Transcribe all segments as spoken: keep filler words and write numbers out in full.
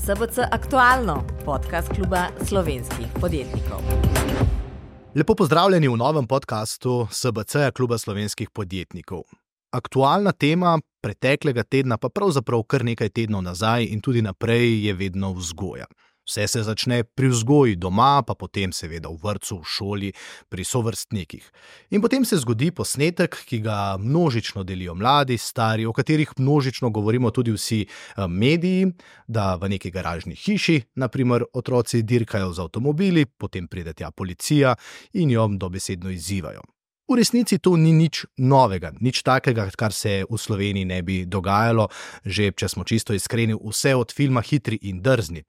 S B C Aktualno, podcast kluba slovenskih podjetnikov. Lepo pozdravljeni v novem podcastu S B C kluba slovenskih podjetnikov. Aktualna tema preteklega tedna, pa pravzaprav kar nekaj tednov nazaj in tudi naprej, je vedno vzgoja. Vse se začne pri vzgoji doma, pa potem seveda v vrtcu, v šoli, pri sovrstnikih. In potem se zgodi posnetek, ki ga množično delijo mladi, stari, o katerih množično govorimo tudi vsi mediji, da v neki garažni hiši, na primer, otroci dirkajo z avtomobili, potem pride tja policija in jo dobesedno izzivajo. V resnici to ni nič novega, nič takega, kar se v Sloveniji ne bi dogajalo, že če smo čisto iskreni, vse od filma Hitri in drzni.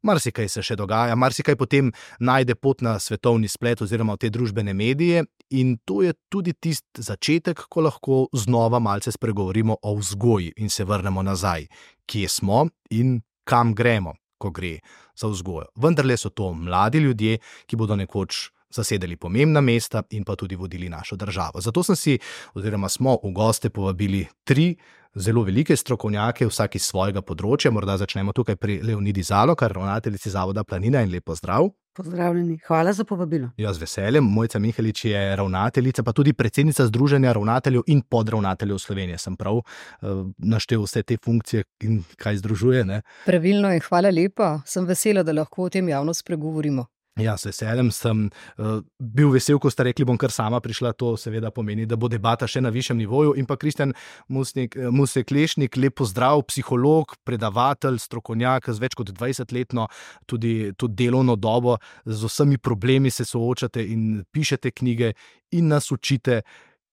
Marsikaj se še dogaja, marsikaj potem najde pot na svetovni splet oziroma v te družbene medije in to je tudi tisti začetek, ko lahko znova malce spregovorimo o vzgoji in se vrnemo nazaj, kje smo in kam gremo, ko gre za vzgojo. Vendarle so to mladi ljudje, ki bodo nekoč zasedali pomembna mesta in pa tudi vodili našo državo. Zato sem si, oziroma smo v goste povabili tri zelo velike strokovnjake, vsak iz svojega področja. Morda začnemo tukaj pri Leonidi Zalokar, ravnateljici Zavoda Planina, in lep pozdrav. Pozdravljeni, hvala za povabilo. Ja, z veseljem. Mojca Mihelič je ravnateljica, pa tudi predsednica Združenja ravnateljev in podravnateljev Slovenije. Sem prav uh, naštel vse te funkcije in kaj združuje, ne? Pravilno je, hvala lepa. Sem vesela, da lahko o tem javno spregovorimo. Ja, s veseljem sem uh, bil vesel, ko ste rekli, bom kar sama prišla, to seveda pomeni, da bo debata še na višjem nivoju. In pa Kristjan Musek-Lešnik, lep pozdrav, psiholog, predavatelj, strokovnjak z več kot dvajsetletno tudi, tudi delovno dobo, z vsemi problemi se soočate in pišete knjige in nas učite,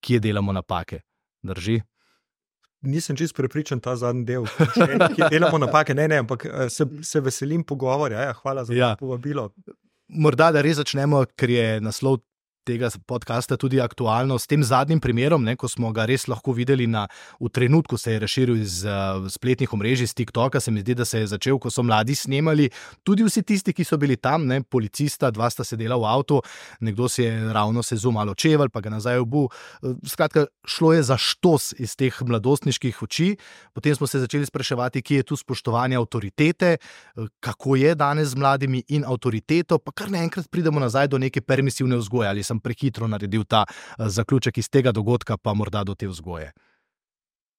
kje delamo napake. Drži? Nisem čisto prepričan ta zadnji del, kje delamo napake, ne, ne, ampak se, se veselim pogovorja, ja, hvala za ja. povabilo. Morda, da res začnemo, ker je naslov tega podcasta tudi aktualno, s tem zadnjim primerom, ne, ko smo ga res lahko videli na, v trenutku se je razširil iz uh, spletnih omrežij, z TikToka, se mi zdi, da se je začel, ko so mladi snemali, tudi vsi tisti, ki so bili tam, ne, policista, dva sta sedela v avtu, nekdo si je ravno sezu malo čevelj, pa ga nazaj obu. Skratka, šlo je za štos iz teh mladostniških oči, potem smo se začeli spraševati, kje je tu spoštovanje avtoritete, kako je danes z mladimi in avtoriteto, pa kar naenkrat pridemo nazaj do neke permisivne vzgoje, ali sem prehitro naredil ta zaključek iz tega dogodka, pa morda do te vzgoje.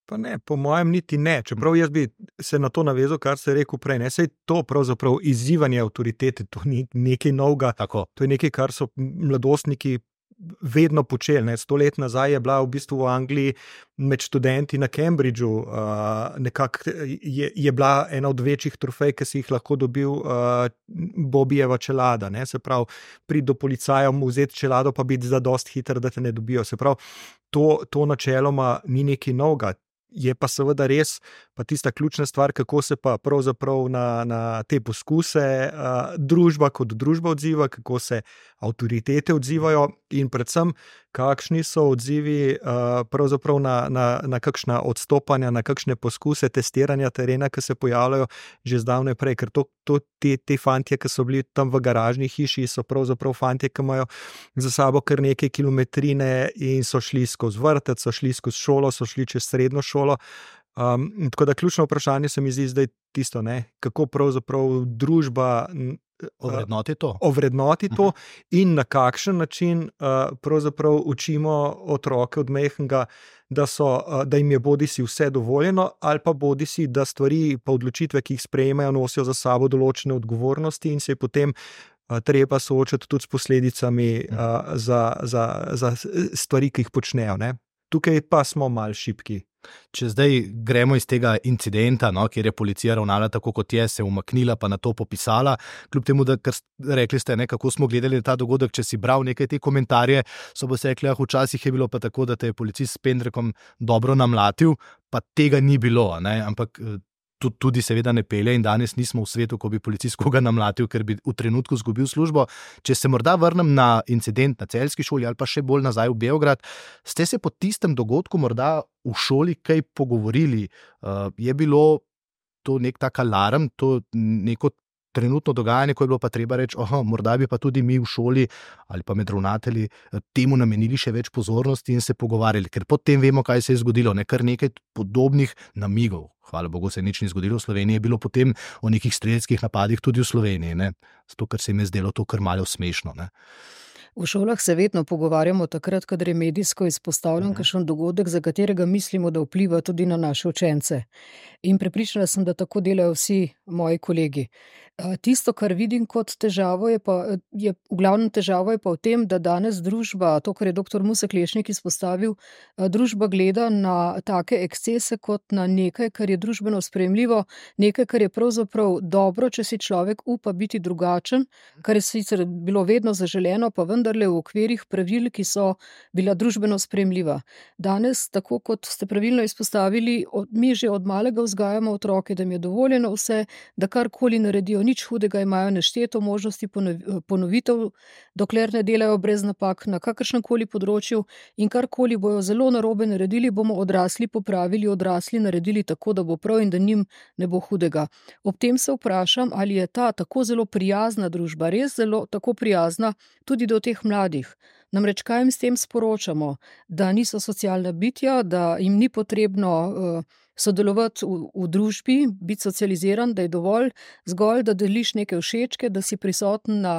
Pa ne, po mojem niti ne, čeprav jaz bi se na to navezal, kar ste rekel prej, ne, sej to pravzaprav izzivanje avtoritete, to ni nekaj novega, Tako. To je nekaj, kar so mladostniki vedno počeli, ne, sto let nazaj je bila v bistvu v Angliji med študenti na Cambridgeu, uh, nekako je, je bila ena od večjih trofej, ki si jih lahko dobil uh, Bobijeva čelada, ne, se pravi, priti do policaja, mu vzeti čelado, pa biti zadosti hiter, da te ne dobijo, se pravi, to, to načeloma ni nekaj novega. Je pa seveda res, pa tista ključna stvar, kako se pa pravzaprav na, na te poskuse uh, družba kot družba odziva, kako se avtoritete odzivajo in predvsem, kakšni so odzivi uh, pravzaprav na, na, na kakšna odstopanja, na kakšne poskuse testiranja terena, ki se pojavljajo že zdavnaj prej, ker to, to, te, te fantje, ki so bili tam v garažni hiši, so pravzaprav fantje, ki imajo za sabo kar nekaj kilometrine in so šli skozi vrtec, so šli skozi šolo, so šli čez srednjo šolo. Um, tako da ključno vprašanje se mi zdi zdaj tisto, ne, kako pravzaprav družba Ovrednoti to. Ovrednoti to in na kakšen način uh, pravzaprav učimo otroke od majhnega, da, so, uh, da jim je bodisi vse dovoljeno ali pa bodisi, da stvari pa odločitve, ki jih sprejemajo, nosijo za sabo določene odgovornosti in se je potem uh, treba soočati tudi s posledicami uh, za, za, za stvari, ki jih počnejo, ne. Tukaj pa smo malo šibki. Če zdaj gremo iz tega incidenta, no, kjer je policija ravnala tako, kot je, se umaknila, pa na to popisala, kljub temu, da kar rekli ste, ne, kako smo gledali na ta dogodek, če si bral nekaj te komentarje, so bo se rekli, ah, včasih je bilo pa tako, da te je policist s pendrekom dobro namlatil, pa tega ni bilo, ne, ampak tudi seveda ne pelje in danes nismo v svetu, ko bi policist koga namlatil, ker bi v trenutku zgubil službo. Če se morda vrnem na incident na celjski šoli ali pa še bolj nazaj v Beograd, ste se po tistem dogodku morda v šoli kaj pogovorili? Uh, je bilo to nek tak alarm, to neko trenutno dogajanje, ko je bilo pa treba reči, aha, morda bi pa tudi mi v šoli ali pa med ravnatelji temu namenili še več pozornosti in se pogovarjali, ker potem vemo, kaj se je zgodilo, ne, kar nekaj podobnih namigov, hvala Bogu se nič ni zgodilo v Sloveniji, je bilo potem o nekih strelskih napadih tudi v Sloveniji, ne? Zato, ker se jim je zdelo to kar malo smešno, ne? V šolah se vedno pogovarjamo takrat, kadar je medijsko izpostavljen kakšen dogodek, za katerega mislimo, da vpliva tudi na naše učence. In prepričana sem, da tako delajo vsi moji kolegi. Tisto, kar vidim kot težavo, je pa, je, v glavnem težavo je pa v tem, da danes družba, to, kar je doktor Musek Lešnik izpostavil, družba gleda na take ekscese kot na nekaj, kar je družbeno sprejemljivo, nekaj, kar je pravzaprav dobro, če si človek upa biti drugačen, kar je sicer bilo vedno zaželeno, pa vendarle v okvirih pravil, ki so bila družbeno sprejemljiva. Danes, tako kot ste pravilno izpostavili, mi že od malega vzgajamo otroke, da jim je dovoljeno vse, da karkoli naredijo, nič hudega, imajo nešteto možnosti ponovitev, dokler ne delajo brez napak na kakršnemkoli področju in karkoli bojo zelo narobe naredili, bomo odrasli popravili, odrasli naredili tako, da bo prav in da njim ne bo hudega. Ob tem se vprašam, ali je ta tako zelo prijazna družba, res zelo tako prijazna tudi do teh mladih. Namreč kaj jim s tem sporočamo? Da niso socialna bitja, da jim ni potrebno uh, sodelovati v, v družbi, biti socializiran, da je dovolj zgolj, da deliš neke všečke, da si prisoten na,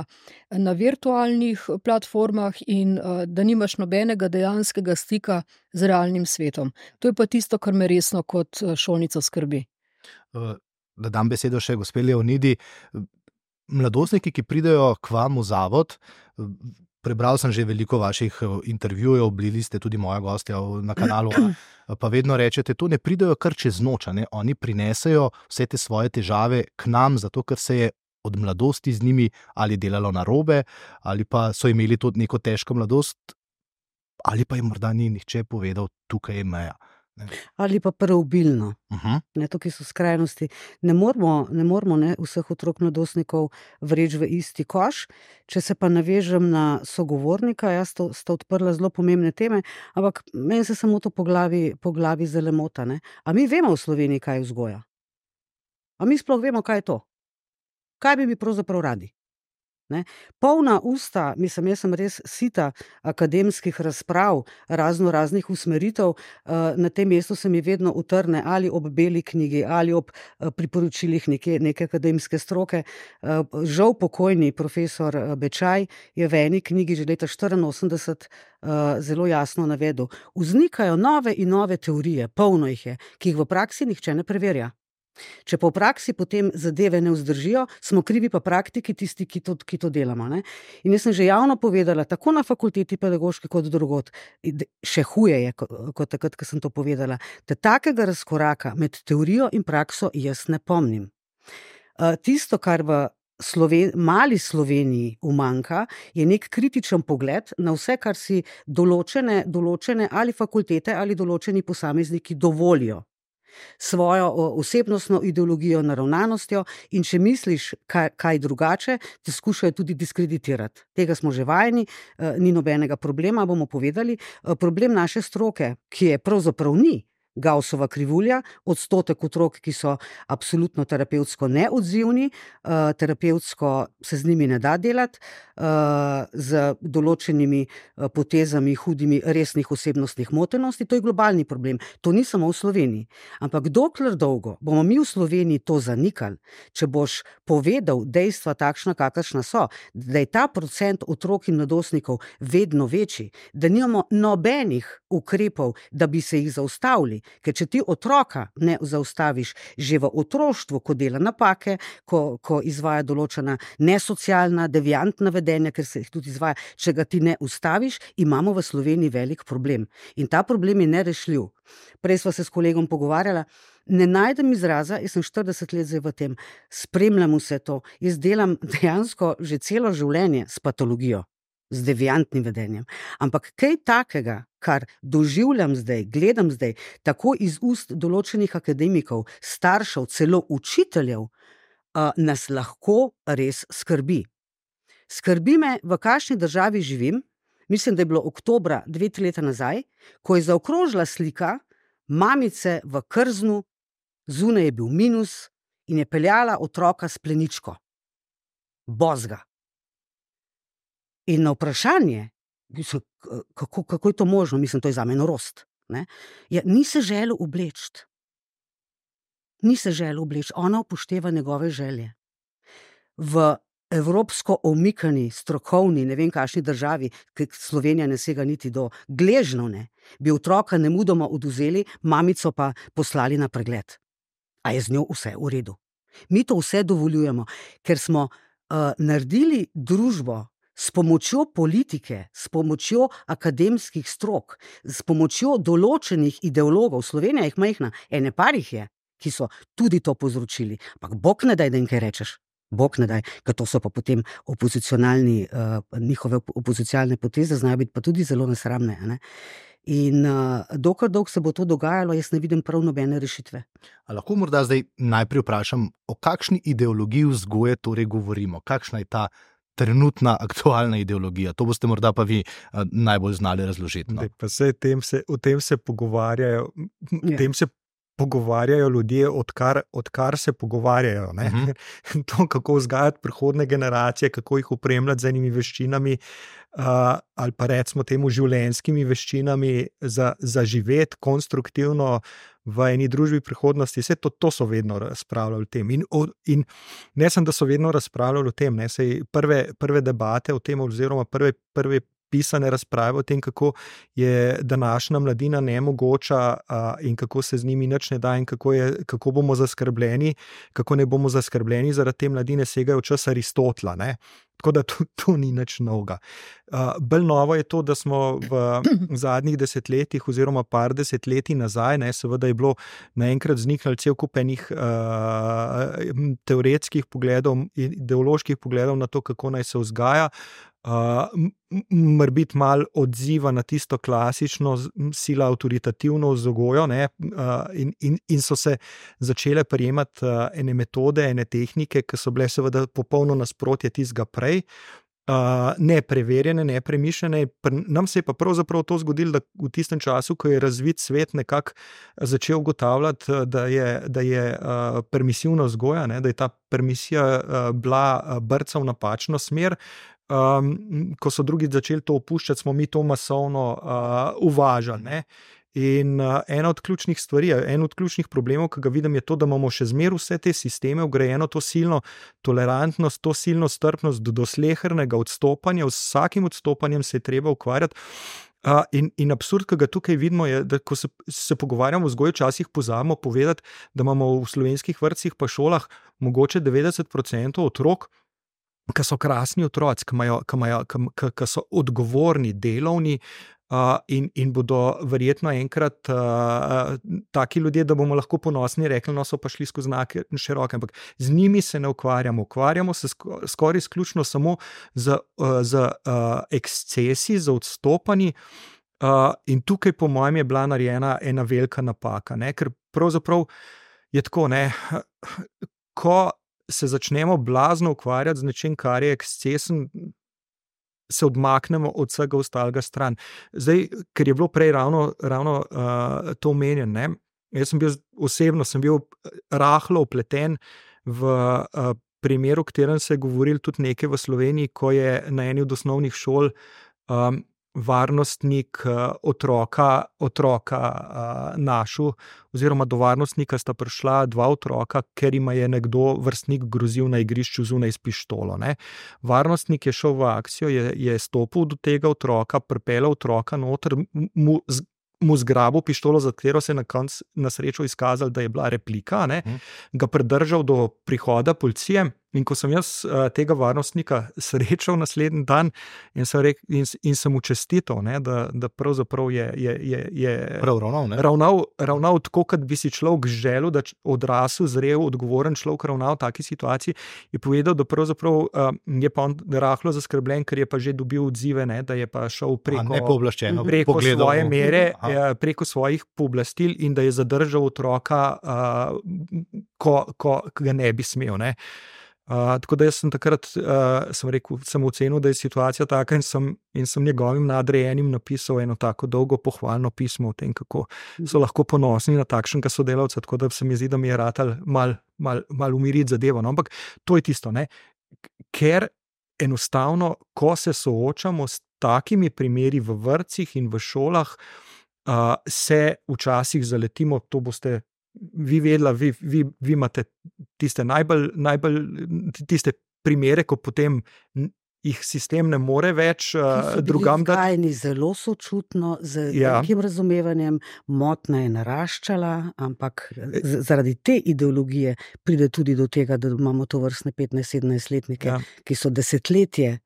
na virtualnih platformah in uh, da nimaš nobenega dejanskega stika z realnim svetom. To je pa tisto, kar me resno kot šolnico skrbi. Uh, da dam besedo še gospe Leonidi. Mladostniki, ki pridejo k vam v zavod, prebral sem že veliko vaših intervjujev, bili ste tudi moja gostja na kanalu, pa vedno rečete, to ne pridejo kar čez noč, ne? Oni prinesejo vse te svoje težave k nam, zato ker se je od mladosti z njimi ali delalo narobe, ali pa so imeli tudi neko težko mladost, ali pa jim morda ni nihče povedal, tukaj je meja. Ne? Ali pa preobilno. Uh-huh. Ne, tukaj so skrajnosti. Ne moramo, ne moramo ne, vseh otrok mladostnikov vreči v isti koš. Če se pa navežem na sogovornika, jaz to, sta odprla zelo pomembne teme, ampak meni se samo to po glavi, po glavi zelo mota. Ne? A mi vemo v Sloveniji, kaj je vzgoja? A mi sploh vemo, kaj je to? Kaj bi mi pravzaprav radi? Ne? Polna usta, mislim, jaz sem res sita akademskih razprav, razno raznih usmeritev, na tem mestu se mi vedno utrne ali ob beli knjigi ali ob priporočilih neke, neke akademske stroke. Žal pokojni profesor Bečaj je v eni knjigi že leta štiriinosemdeset zelo jasno navedel. Vznikajo nove in nove teorije, polno jih je, ki jih v praksi nihče ne preverja. Če pa v praksi potem zadeve ne vzdržijo, smo krivi pa praktiki tisti, ki to, ki to delamo. Ne? In jaz sem že javno povedala, tako na fakulteti pedagoški kot drugod, še huje je, kot takrat, ko sem to povedala, da takega razkoraka med teorijo in prakso jaz ne pomnim. Tisto, kar v Sloven, mali Sloveniji umanjka, je nek kritičen pogled na vse, kar si določene, določene ali fakultete ali določeni posamezniki dovolijo. Svojo osebnostno ideologijo, naravnanostjo in če misliš kaj, kaj drugače, te skušajo tudi diskreditirati. Tega smo že vajeni, ni nobenega problema, bomo povedali. Problem naše stroke, ki je pravzaprav ni Gaussova krivulja, odstotek otrok, ki so absolutno terapevtsko neodzivni, uh, terapevtsko se z njimi ne da delati, uh, z določenimi uh, potezami, hudimi, resnih osebnostnih motenosti, to je globalni problem. To ni samo v Sloveniji. Ampak dokler dolgo bomo mi v Sloveniji to zanikali, če boš povedal dejstva takšna, kakršna so, da je ta procent otrok in mladostnikov vedno večji, da nimamo nobenih ukrepov, da bi se jih zaustavili. Ker če ti otroka ne zaustaviš že v otroštvu, ko dela napake, ko, ko izvaja določena nesocialna, deviantna vedenja, ker se jih tudi izvaja, če ga ti ne ustaviš, imamo v Sloveniji velik problem. In ta problem je nerešljiv. Prej sva se s kolegom pogovarjala, ne najdem izraza, jaz sem štirideset let zdaj v tem, spremljam vse to, jaz delam dejansko že celo življenje s patologijo, z deviantnim vedenjem. Ampak kaj takega, kar doživljam zdaj, gledam zdaj, tako iz ust določenih akademikov, staršev, celo učiteljev, nas lahko res skrbi. Skrbi me, v kakšni državi živim. Mislim, da je bilo oktobra dve, tri leta nazaj, ko je zaokrožila slika mamice v krznu, zunaj je bil minus in je peljala otroka s pleničko. Bozga. In na vprašanje, kako, kako je to možno, mislim, to je zame norost, ne? Ja, ni se želel obleči. ni se želel obleči, ona upošteva njegove želje. V evropsko omikani, strokovni, ne vem kakšni državi, ki Slovenija ne sega niti do Gležnov, ne, bi otroka nemudoma odvzeli, mamico pa poslali na pregled. A je z njo vse v redu? Mi to vse dovoljujemo, ker smo uh, naredili družbo s pomočjo politike, s pomočjo akademskih strok, s pomočjo določenih ideologov. Slovenija jih majhna, ene par jih je, ki so tudi to povzročili. Ampak bog ne daj, da jim kaj rečeš. Bog ne daj, ker to so pa potem opozicionalni, uh, njihove opozicionalne poteze znajo biti pa tudi zelo nesramne. Ne? In uh, dokler dolg se bo to dogajalo, jaz ne vidim prav nobene rešitve. A lahko morda zdaj najprej vprašam, o kakšni ideologiji vzgoje torej govorimo? Kakšna je ta trenutna aktualna ideologija? To boste morda pa vi uh, najbolj znali razložiti. No? Dej, pa se, tem se, o tem se pogovarjajo, Ja. tem se pogovarjajo ljudje, odkar, odkar se pogovarjajo. Ne? Mhm. To, kako vzgajati prihodne generacije, kako jih opremljati z enimi veščinami, uh, ali pa recimo temu življenjskimi veščinami za, za živeti konstruktivno v eni družbi prihodnosti. Vse to, to so vedno razpravljali o tem. In, o, in ne sem, da so vedno razpravljali o tem. Ne? Sej prve, prve debate o tem, oziroma prve, prve pisane razprave o tem, kako je današnja mladina nemogoča a, in kako se z njimi nič ne da in kako, je, kako bomo zaskrbljeni, kako ne bomo zaskrbljeni zaradi te mladine, segajo v čas Aristotela. Ne? Tako da to, to ni nič novega. Uh, bolj novo je to, da smo v zadnjih desetletjih oziroma par desetletij nazaj, ne, seveda je bilo naenkrat vzniknilo cel kup enih uh, teoretskih pogledov, ideoloških pogledov na to, kako naj se vzgaja. Uh, morbiti malo odziva na tisto klasično sila avtoritativno vzgojo, ne, uh, in, in, in so se začele prijemati uh, ene metode, ene tehnike, ki so bile seveda popolno nasprotje tistega prej, uh, nepreverjene, nepremišljene. Nam se je pa pravzaprav to zgodilo, da v tistem času, ko je razvit svet nekako začel ugotavljati, da je, da je uh, permisivna vzgoja, ne, da je ta permisija uh, bila brca v napačno smer. Um, ko so drugi začeli to opuščati, smo mi to masovno uh, uvažali. Ne? In uh, ena od ključnih stvari, en od ključnih problemov, ki ga vidim, je to, da imamo še zmeraj vse te sisteme vgrajeno, to silno tolerantnost, to silno strpnost do, do slehernega odstopanja. Z vsakim odstopanjem se je treba ukvarjati. Uh, in, in absurd, ki ga tukaj vidimo, je, da ko se, se pogovarjamo o vzgoji, včasih pozabimo povedati, da imamo v slovenskih vrtcih pa šolah mogoče devetdeset procentov otrok, ki so krasni otroci, ki, imajo, ki, imajo, ki, ki so odgovorni, delovni uh, in, in bodo verjetno enkrat uh, taki ljudje, da bomo lahko ponosni rekli, no so pa šli skozi znake široke, ampak z njimi se ne ukvarjamo. Ukvarjamo se sko, skoraj izključno samo z, uh, z uh, ekscesi, z odstopanji uh, in tukaj po mojem je bila narejena ena velika napaka, ne? Ker pravzaprav je tako, ne, ko se začnemo blazno ukvarjati z nečim, kar je ekscesen, se odmaknemo od vsega ostalega stran. Zdaj, ker je bilo prej ravno, ravno uh, to omenjen, ne? Jaz sem bil osebno sem bil rahlo upleten v uh, primeru, v katerem se je govoril tudi nekaj v Sloveniji, ko je na eni od osnovnih šol um, varnostnik uh, otroka, otroka uh, našel, oziroma do varnostnika sta prišla dva otroka, ker ima je nekdo vrstnik grozil na igrišču zunaj s pištolo. Ne. Varnostnik je šel v akcijo, je, je stopil do tega otroka, pripeljal otroka noter, mu, z, mu zgrabil pištolo, za katero se je na koncu na srečo izkazalo, da je bila replika, ne, hmm. ga pridržal do prihoda policije. In ko sem jaz uh, tega varnostnika srečal naslednji dan in sem, rekel, in, in sem mu čestital, ne, da, da pravzaprav je, je, je, je Prav ravnal, ne? ravnal, ravnal tako, kot bi si človek želel, da odrasel, zrel, odgovoren človek ravnal v taki situaciji, je povedal, da pravzaprav uh, je pa on rahlo zaskrbljen, ker je pa že dobil odzive, ne, da je pa šel preko, preko svoje mere, uh, preko svojih pooblastil in da je zadržal otroka, uh, ko, ko ga ne bi smel. Ne. Uh, tako da jaz sem takrat uh, sem rekel, sem ocenil, da je situacija taka in sem, in sem njegovim nadrejenim napisal eno tako dolgo pohvalno pismo o tem, kako so lahko ponosni na takšnega sodelavca, tako da se mi zdi, da mi je ratal mal, mal, mal umiriti zadevo. No? Ampak to je tisto, ne? Ker enostavno, ko se soočamo s takimi primeri v vrtcih in v šolah, uh, se včasih zaletimo, to boste vi vedela, vi, vi, vi imate tiste najbolj, najbolj tiste primere, ko potem jih sistem ne more več uh, drugam dati. Vzgajeni zelo sočutno, z Ja. velikim razumevanjem, motnja je naraščala, ampak z, zaradi te ideologije pride tudi do tega, da imamo to vrstne petnajst-sedemnajstletnike, Ja. ki so desetletje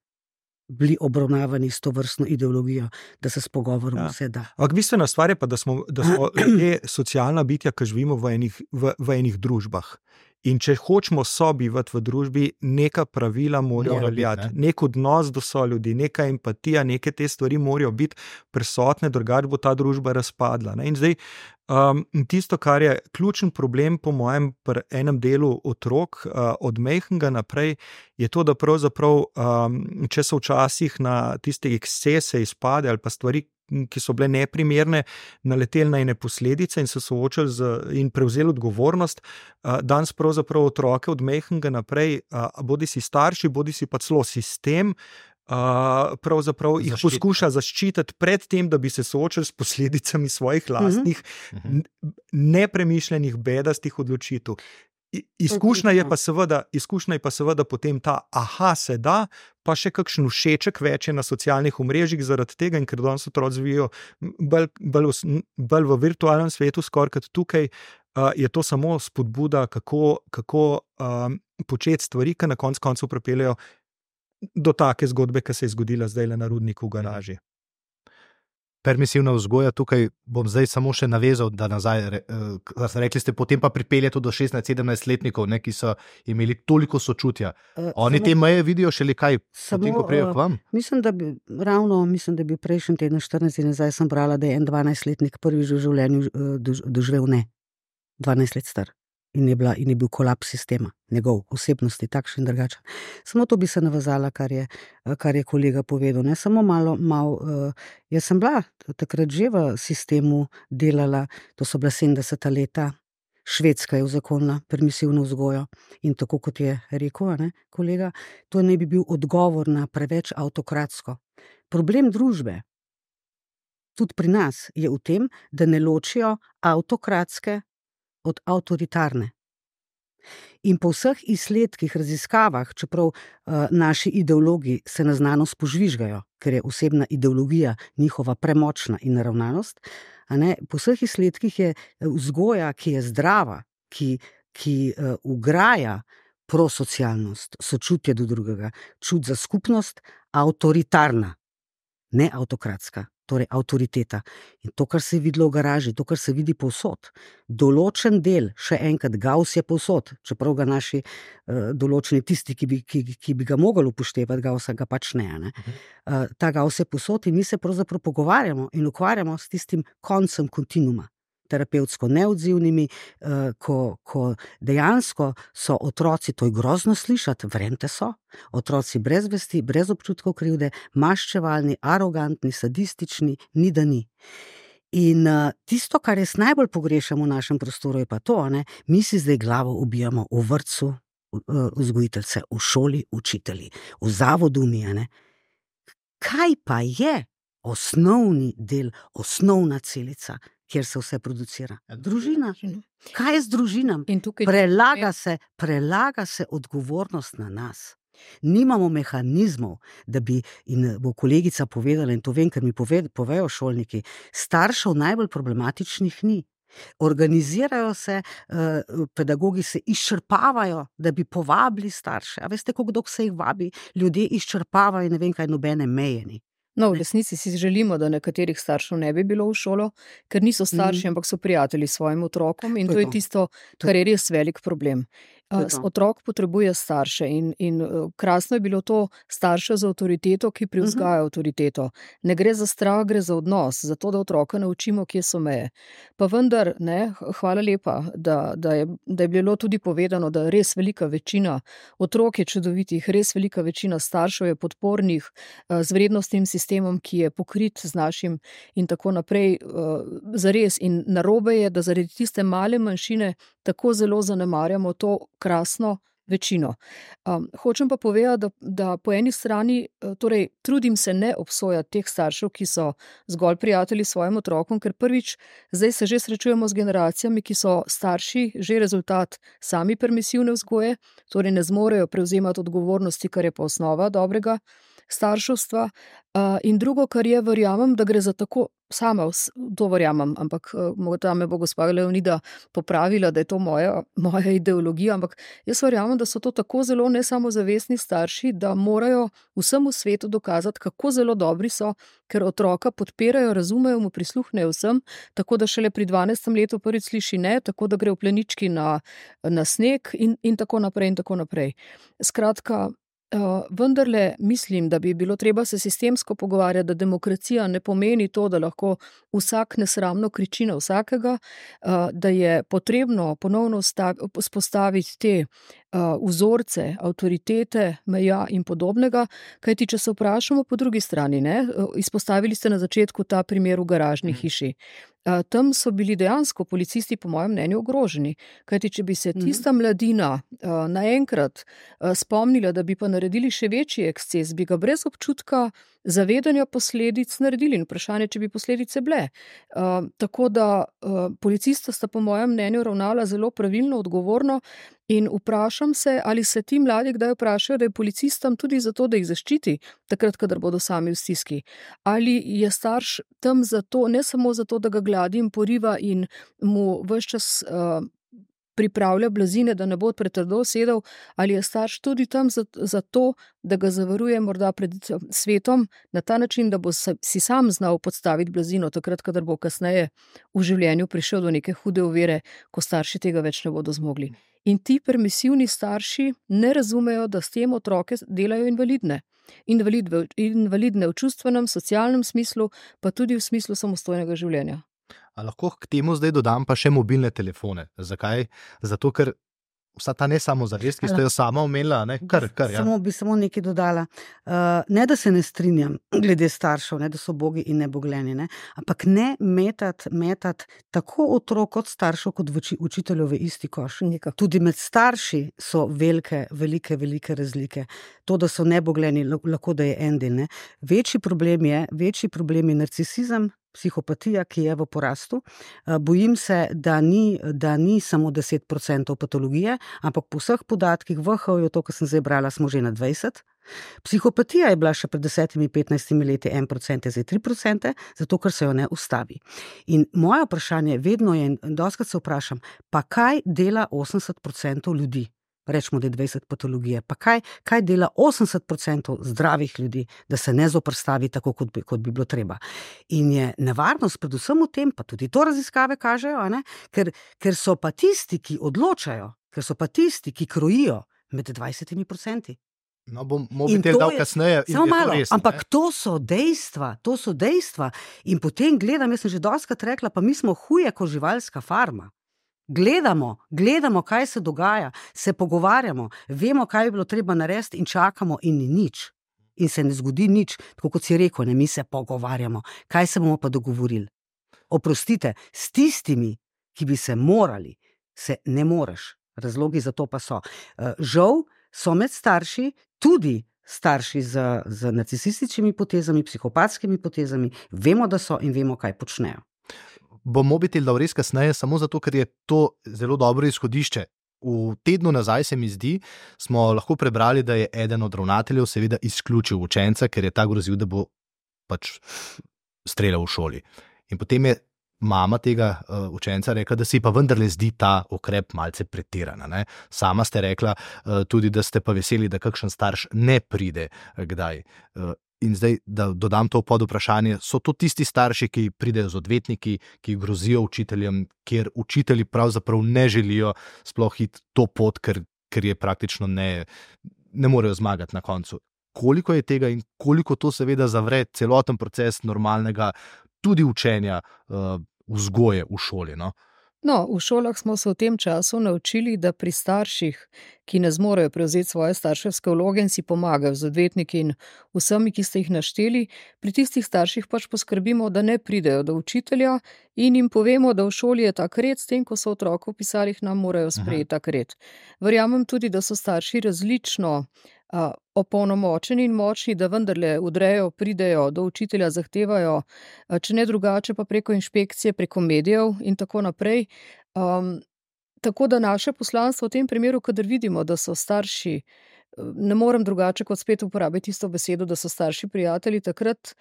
bili obravnavani s to vrstno ideologijo, da se s pogovorom Ja. vse da. Ampak bistvena stvar je pa, da smo, da smo ljudje socialna bitja, ki živimo v enih, v, v enih družbah. In če hočemo sobivati v družbi, neka pravila morajo Mora biti, veljati, ne. nek odnos do soljudi, neka empatija, neke te stvari morajo biti prisotne, drugače bo ta družba razpadla. Ne? In zdaj, um, tisto, kar je ključen problem, po mojem, pri enem delu otrok, uh, od majhnega naprej, je to, da pravzaprav, um, če so včasih na tiste ekscese izpade ali pa stvari, ki so bile neprimerne, naleteli na ene posledice in se soočili z, in prevzeli odgovornost. Danes pravzaprav otroke od majhnega naprej, bodi si starši, bodi si pa celo sistem, pravzaprav jih Zaščita. poskuša zaščititi pred tem, da bi se soočili s posledicami svojih lastnih Mhm. nepremišljenih, bedastih odločitev. I- Izkušnja je pa seveda, izkušnja je pa seveda potem ta, aha, se da, pa še kakšen všeček več je na socialnih omrežjih zaradi tega, in ker danes otroci živijo bolj, bolj, v- bolj v virtualnem svetu, skoraj kot tukaj, uh, je to samo spodbuda, kako, kako um, početi stvari, ki na koncu koncev pripeljejo do take zgodbe, ki se je zgodila zdaj na Rudniku v garaži. Permisivna vzgoja, tukaj bom zdaj samo še navezal, da nazaj, re- eh, kar ste rekli, ste potem pa pripelje to do šestnajst-sedemnajstletnikov, ne, ki so imeli toliko sočutja. Uh, Oni samo- te meje vidijo šele kaj, Samo, potem, ko prijo eh, k vam? Mislim, da bi ravno, mislim, da bi prejšnji teden, štirinajst dni nazaj, sem brala, da je en dvanajstletnik prvič v življenju eh, dož- doživel ne, dvanajst let star. In je, bila, in je bil kolaps sistema, njegov osebnosti, takšen in drugačen. Samo to bi se navezala, kar je, eh, kar je kolega povedal. Ne? Samo malo, malo uh, jaz sem bila takrat že v sistemu delala, to so bila sedemdeseta leta, Švedska je uzakonila permisivno vzgojo in tako kot je rekel, a ne, kolega, to naj bi bil odgovor na preveč avtokratsko. Problem družbe, tudi pri nas, je v tem, da ne ločijo avtokratske od avtoritarne. In po vseh izsledkih, raziskavah, čeprav uh, naši ideologi se na znanost požvižgajo, ker je osebna ideologija njihova premočna in naravnanost, a ne, po vseh izsledkih je vzgoja, ki je zdrava, ki, ki uh, ugraja prosocialnost, sočutje do drugega, čut za skupnost, avtoritarna, ne avtokratska. Torej, avtoriteta. In to, kar se je videlo v garaži, to, kar se vidi povsod, določen del, še enkrat, Gauss je povsod, čeprav ga naši uh, določeni tisti, ki bi, ki, ki bi ga mogli upoštevati, Gaussa ga pač ne. ne? Uh, ta Gauss je povsod in mi se pravzaprav pogovarjamo in ukvarjamo s tistim koncem kontinuma, terapevtsko neodzivnimi, uh, ko, ko dejansko so otroci, to je grozno slišati, verjemite so, otroci brez vesti, brez občutkov krivde, maščevalni, arogantni, sadistični, ni da ni. In uh, tisto, kar jaz najbolj pogrešam v našem prostoru, je pa to, ne? Mi si zdaj glavo ubijamo v vrtcu, uh, vzgojiteljce, v šoli, učitelji, v zavodu mi, a ne. Kaj pa je osnovni del, osnovna celica, kjer se vse producira? Družina. Kaj je z družinami? In tukaj Prelaga se, prelaga se odgovornost na nas. Nimamo mehanizmov, da bi, in bo kolegica povedala, in to vem, ker mi pove, povejo šolniki, staršev najbolj problematičnih ni. Organizirajo se, eh, pedagogi se izčrpavajo, da bi povabili starše. A veste, koliko dolgo se jih vabi? Ljudje izčrpavajo in ne vem, kaj nobene meje ni. No, v resnici si želimo, da nekaterih staršev ne bi bilo v šolo, ker niso starši, Mhm. ampak so prijatelji s svojim otrokom in To to je je to. tisto, To je kar je res velik problem. To je Uh, to. Otrok potrebuje starše in, in uh, krasno je bilo to starše z avtoriteto, ki privzgaja avtoriteto. Ne gre za strah, gre za odnos, za to, da otroka naučimo, kje so meje. Pa vendar, ne, hvala lepa, da, da, je, da je bilo tudi povedano, da res velika večina otrok je čudovitih, res velika večina staršev je podpornih uh, z vrednostnim sistemom, ki je pokrit z našim in tako naprej. Uh, zares in narobe je, da zaradi tiste male manjšine tako zelo zanemarjamo to krasno večino. Um, hočem pa povedati, da, da po eni strani, torej trudim se ne obsojati teh staršev, ki so zgolj prijatelji s svojim otrokom, ker prvič zdaj se že srečujemo z generacijami, ki so starši že rezultat sami permisivne vzgoje, torej ne zmorejo prevzemati odgovornosti, kar je pa osnova dobrega starševstva. Uh, in drugo, kar je, verjamem, da gre za tako, sama to verjamem, ampak uh, morda me bo gospa Leonida popravila, da je to moja, moja ideologija, ampak jaz verjamem, da so to tako zelo nesamozavestni starši, da morajo vsemu svetu dokazati, kako zelo dobri so, ker otroka podpirajo, razumejo, mu prisluhnejo vsem, tako da šele pri dvanajstem letu prvič sliši ne, tako da gre v plenički na, na sneg in, in tako naprej in tako naprej. Skratka, Uh, vendarle mislim, da bi bilo treba se sistemsko pogovarjati, da demokracija ne pomeni to, da lahko vsak nesramno kriči na vsakega, uh, da je potrebno ponovno spostaviti te uh, vzorce, avtoritete, meja in podobnega, kajti če se vprašamo po drugi strani, ne, izpostavili ste na začetku ta primer v garažni hiši. Uh, tam so bili dejansko policisti, po mojem mnenju, ogroženi. Kajti, če bi se tista mladina uh, naenkrat uh, spomnila, da bi pa naredili še večji eksces, bi ga brez občutka zavedanja posledic naredili. In vprašanje, če bi posledice bile. Uh, tako da uh, policista sta, po mojem mnenju, ravnala zelo pravilno, odgovorno. In vprašam se, ali se ti mladi kdaj vprašajo, da je policistom tudi zato, da jih zaščiti, takrat, kadar bodo sami v stiski. Ali je starš tam zato, ne samo zato, da ga gladi in poriva in mu ves čas uh, pripravlja blazine, da ne bo pretrdo sedel, ali je starš tudi tam zato, da ga zavaruje morda pred svetom na ta način, da bo si sam znal podstaviti blazino, takrat, kadar bo kasneje v življenju prišel do neke hude ovire, ko starši tega več ne bodo zmogli. In ti permisivni starši ne razumejo, da s tem otroke delajo invalidne. Invalidve, invalidne v čustvenem, socialnem smislu, pa tudi v smislu samostojnega življenja. A lahko k temu zdaj dodam pa še mobilne telefone. Zakaj? Zato, ker vsa ta ne samozavest, ki ste jo sama omenila, ne? Kar, kar, ja. Samo bi samo nekaj dodala. Uh, ne, da se ne strinjam glede staršev, ne, da so bogi in nebogljeni, ne? Ampak ne metati metat tako otrok kot staršev, kot učiteljev v isti koš. Nekako. Tudi med starši so velike, velike, velike razlike. To, da so nebogljeni, lahko da je en del. Ne? Večji problem je, večji problem je narcisizem, psihopatija, ki je v porastu. Bojim se, da ni, da ni samo deset procentov patologije, ampak po vseh podatkih v H O-ju, to, kar sem zdaj brala, smo že na dvajset. Psihopatija je bila še pred desetimi, petnajstimi leti en procent, zdaj tri procente, zato ker se jo ne ustavi. In moje vprašanje vedno je, in dostakrat se vprašam, pa kaj dela osemdeset procentov ljudi? Rečemo, da je dvajset patologije. Pa kaj, kaj dela osemdeset procentov zdravih ljudi, da se ne zoprstavi tako, kot bi, kot bi bilo treba. In je nevarnost predvsem v tem, pa tudi to raziskave kažejo, a ne? Ker, ker so pa tisti, ki odločajo, ker so pa tisti, ki krojijo med dvajsetimi procenti. No, bom mobitel dal kasneje. Samo malo, res, ampak ne? to so dejstva, to so dejstva. In potem gledam, jaz sem že dostakrat rekla, pa mi smo huje kot živalska farma. Gledamo, gledamo, kaj se dogaja, se pogovarjamo, vemo, kaj bi bilo treba narediti in čakamo in ni nič. In se ne zgodi nič, tako kot si rekel, ne, mi se pogovarjamo. Kaj se bomo pa dogovorili? Oprostite, s tistimi, ki bi se morali, se ne moreš. Razlogi za to pa so. Žal so med starši tudi starši z, z narcisističnimi potezami, psihopatskimi potezami, vemo, da so in vemo, kaj počnejo. Bom mobitel dal res kasneje, samo zato, ker je to zelo dobro izhodišče. V tednu nazaj, se mi zdi, smo lahko prebrali, da je eden od ravnateljev seveda izključil učenca, ker je ta grozil, da bo pač streljal v šoli. In potem je mama tega uh, učenca rekla, da si pa vendarle zdi ta ukrep malce pretirana. Ne? Sama ste rekla uh, tudi, da ste pa veseli, da kakšen starš ne pride uh, kdaj. Uh, In zdaj, da dodam to pod vprašanje, so to tisti starši, ki pridejo z odvetniki, ki grozijo učiteljem, kjer učitelji pravzaprav ne želijo sploh iti to pot, ker, ker je praktično ne, ne morejo zmagati na koncu. Koliko je tega in koliko to seveda zavre celoten proces normalnega tudi učenja uh, vzgoje v šoli, no? No, v šolah smo se v tem času naučili, da pri starših, ki ne zmorejo prevzeti svoje starševske vloge in si pomagajo z odvetniki in vsemi, ki ste jih našteli, pri tistih starših pač poskrbimo, da ne pridejo do učitelja in jim povemo, da v šoli je tak red, s tem, ko so otroku v pisalih, nam morajo sprejeti tak red. Verjamem tudi, da so starši različno a, opolnomočeni in močni, da vendarle udrejo, pridejo do učitelja, zahtevajo, a, če ne drugače, pa preko inšpekcije, preko medijev in tako naprej. Um, tako da naše poslanstvo v tem primeru, kadar vidimo, da so starši, ne morem drugače kot spet uporabiti isto besedo, da so starši prijatelji, takrat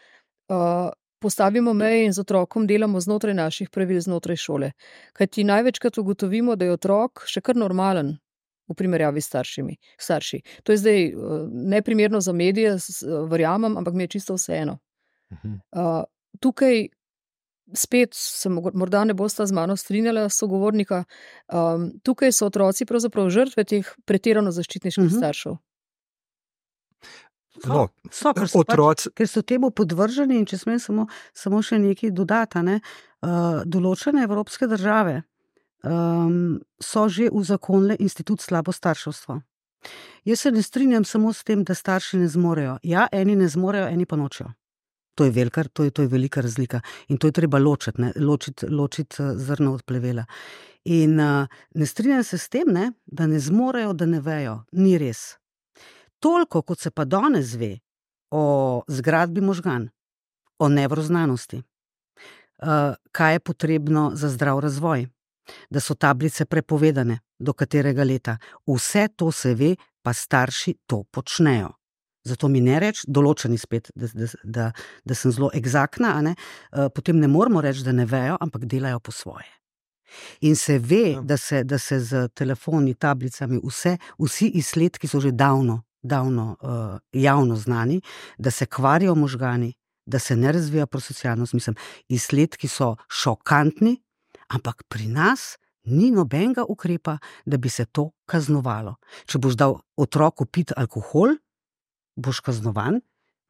uh, postavimo meje in z otrokom delamo znotraj naših pravil, znotraj šole. Kajti največkrat ugotovimo, da je otrok še kar normalen v primerjavi s staršimi, starši. To je zdaj uh, neprimerno za medije, verjamem, ampak mi je čisto vseeno. Uh, tukaj spet se morda ne bosta z mano strinjala sogovornika, um, tukaj so otroci pravzaprav žrtve teh pretirano zaščitniških uh-huh. staršev. No, so, ker, so pač, ker so temu podvrženi in če smem samo, samo še nekaj dodati, ne, uh, določene evropske države um, so že uzakonile institut slabo starševstvo. Jaz se ne strinjam samo s tem, da starši ne zmorejo. Ja, eni ne zmorejo, eni pa nočejo. To je, velika, to, je, to je velika razlika in to je treba ločiti, ne, ločiti, ločiti zrno od plevela. In uh, ne strinjam se s tem, ne, da ne zmorejo, da ne vejo. Ni res. Toliko, kot se pa danes ve o zgradbi možgan, o nevroznanosti, uh, kaj je potrebno za zdrav razvoj, da so tablice prepovedane, do katerega leta. Vse to se ve, pa starši to počnejo. Zato mi ne reči, določeni spet, da, da, da, da sem zelo egzaktna, ne? Uh, potem ne moramo reči, da ne vejo, ampak delajo po svoje. In se ve, ja. da, se, da se z telefoni, tablicami, vse, vsi izsledki so že davno, davno uh, javno znani, da se kvarijo možgani, da se ne razvija prosocialnost. Mislim, izsledki so šokantni, ampak pri nas ni nobenega ukrepa, da bi se to kaznovalo. Če boš dal otroku piti alkohol, boš kaznovan,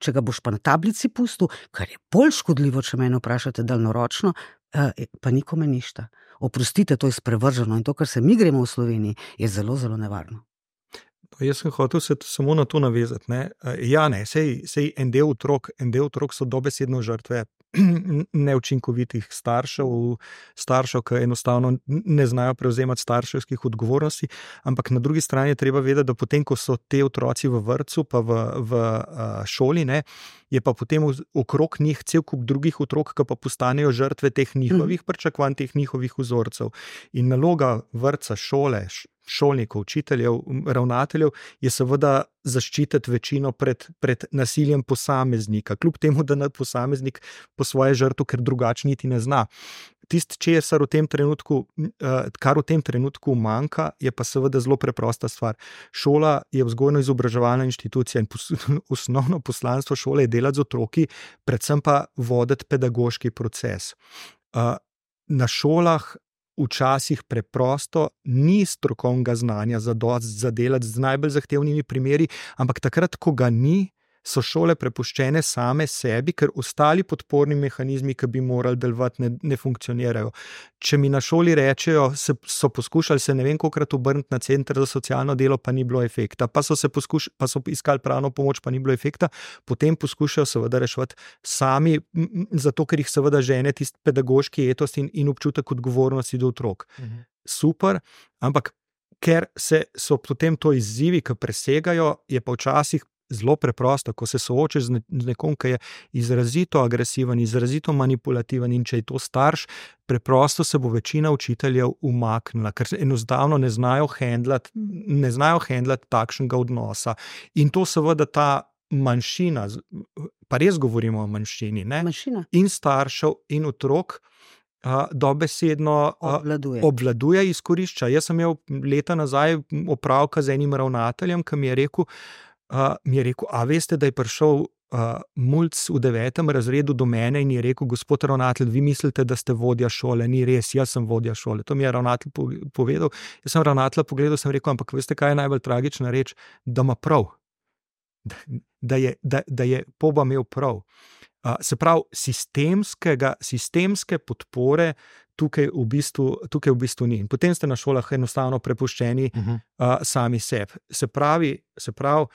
če ga boš pa na tablici pustil, kar je bolj škodljivo, če mene vprašate daljnoročno, pa nikome ništa. Oprostite, to je sprevrženo in to, kar se mi gremo v Sloveniji, je zelo, zelo nevarno. Jaz sem hotel se samo na to navezati. Ne? Ja, ne, sej, sej en del otrok, en del otrok so dobesedno žrtve neučinkovitih staršev, staršev, ki enostavno ne znajo prevzemati starševskih odgovornosti, ampak na drugi strani je treba vedeti, da potem, ko so te otroci v vrtcu pa v, v šoli, ne, je pa potem okrog njih cel kup drugih otrok, ki pa postanejo žrtve teh njihovih pričakovanj, teh njihovih vzorcev. In naloga vrtca, šole, šolnikov, učiteljev, ravnateljev je seveda zaščititi večino pred, pred nasiljem posameznika, kljub temu, da nad posameznik po svoje žrtvo, ker drugače niti ne zna. Tisto, česar v tem trenutku, kar v tem trenutku manjka, je pa seveda zelo preprosta stvar. Šola je vzgojno-izobraževalna inštitucija in pos, osnovno poslanstvo šole je delati z otroki, predvsem pa voditi pedagoški proces. Na šolah včasih preprosto ni strokovnega znanja za dosti za delati z najbolj zahtevnimi primeri, ampak takrat, ko ga ni, so šole prepuščene same sebi, ker ostali podporni mehanizmi, ki bi morali delovati, ne, ne funkcionirajo. Če mi na šoli rečejo, se, so poskušali se ne vem kolikrat obrniti na center za socialno delo, pa ni bilo efekta, pa so, se poskuš, pa so iskali pravno pomoč, pa ni bilo efekta, potem poskušajo seveda reševati sami, zato ker jih seveda žene tisti pedagoški etos in, in občutek odgovornosti do otrok. Mhm. Super, ampak ker se so potem to izzivi, ki presegajo, je pa včasih zelo preprosto, ko se soočaš z nekom, ki je izrazito agresiven, izrazito manipulativen in če je to starš, preprosto se bo večina učiteljev umaknila, ker enostavno ne znajo handlati, ne znajo handlati takšnega odnosa. In to seveda ta manjšina, pa res govorimo o manjšini, ne? Manjšina. In staršev in otrok, Uh, dobesedno uh, obvladuje. obvladuje, izkorišča. Jaz sem imel leta nazaj opravka z enim ravnateljem, ki mi je rekel, uh, mi je rekel, a veste, da je prišel uh, mulc v devetem razredu do mene in je rekel, gospod ravnatelj, vi mislite, da ste vodja šole, ni res, jaz sem vodja šole. To mi je ravnatelj povedal. Jaz sem ravnatelja pogledal, sem rekel, ampak veste, kaj je najbolj tragična reč? Da ima prav. Da, da, je, da, da je poba imel prav. Uh, se pravi, sistemskega, sistemske podpore tukaj v bistvu, tukaj v bistvu ni. In potem ste na šolah enostavno prepuščeni uh -huh. uh, sami sebi. Se pravi, se pravi,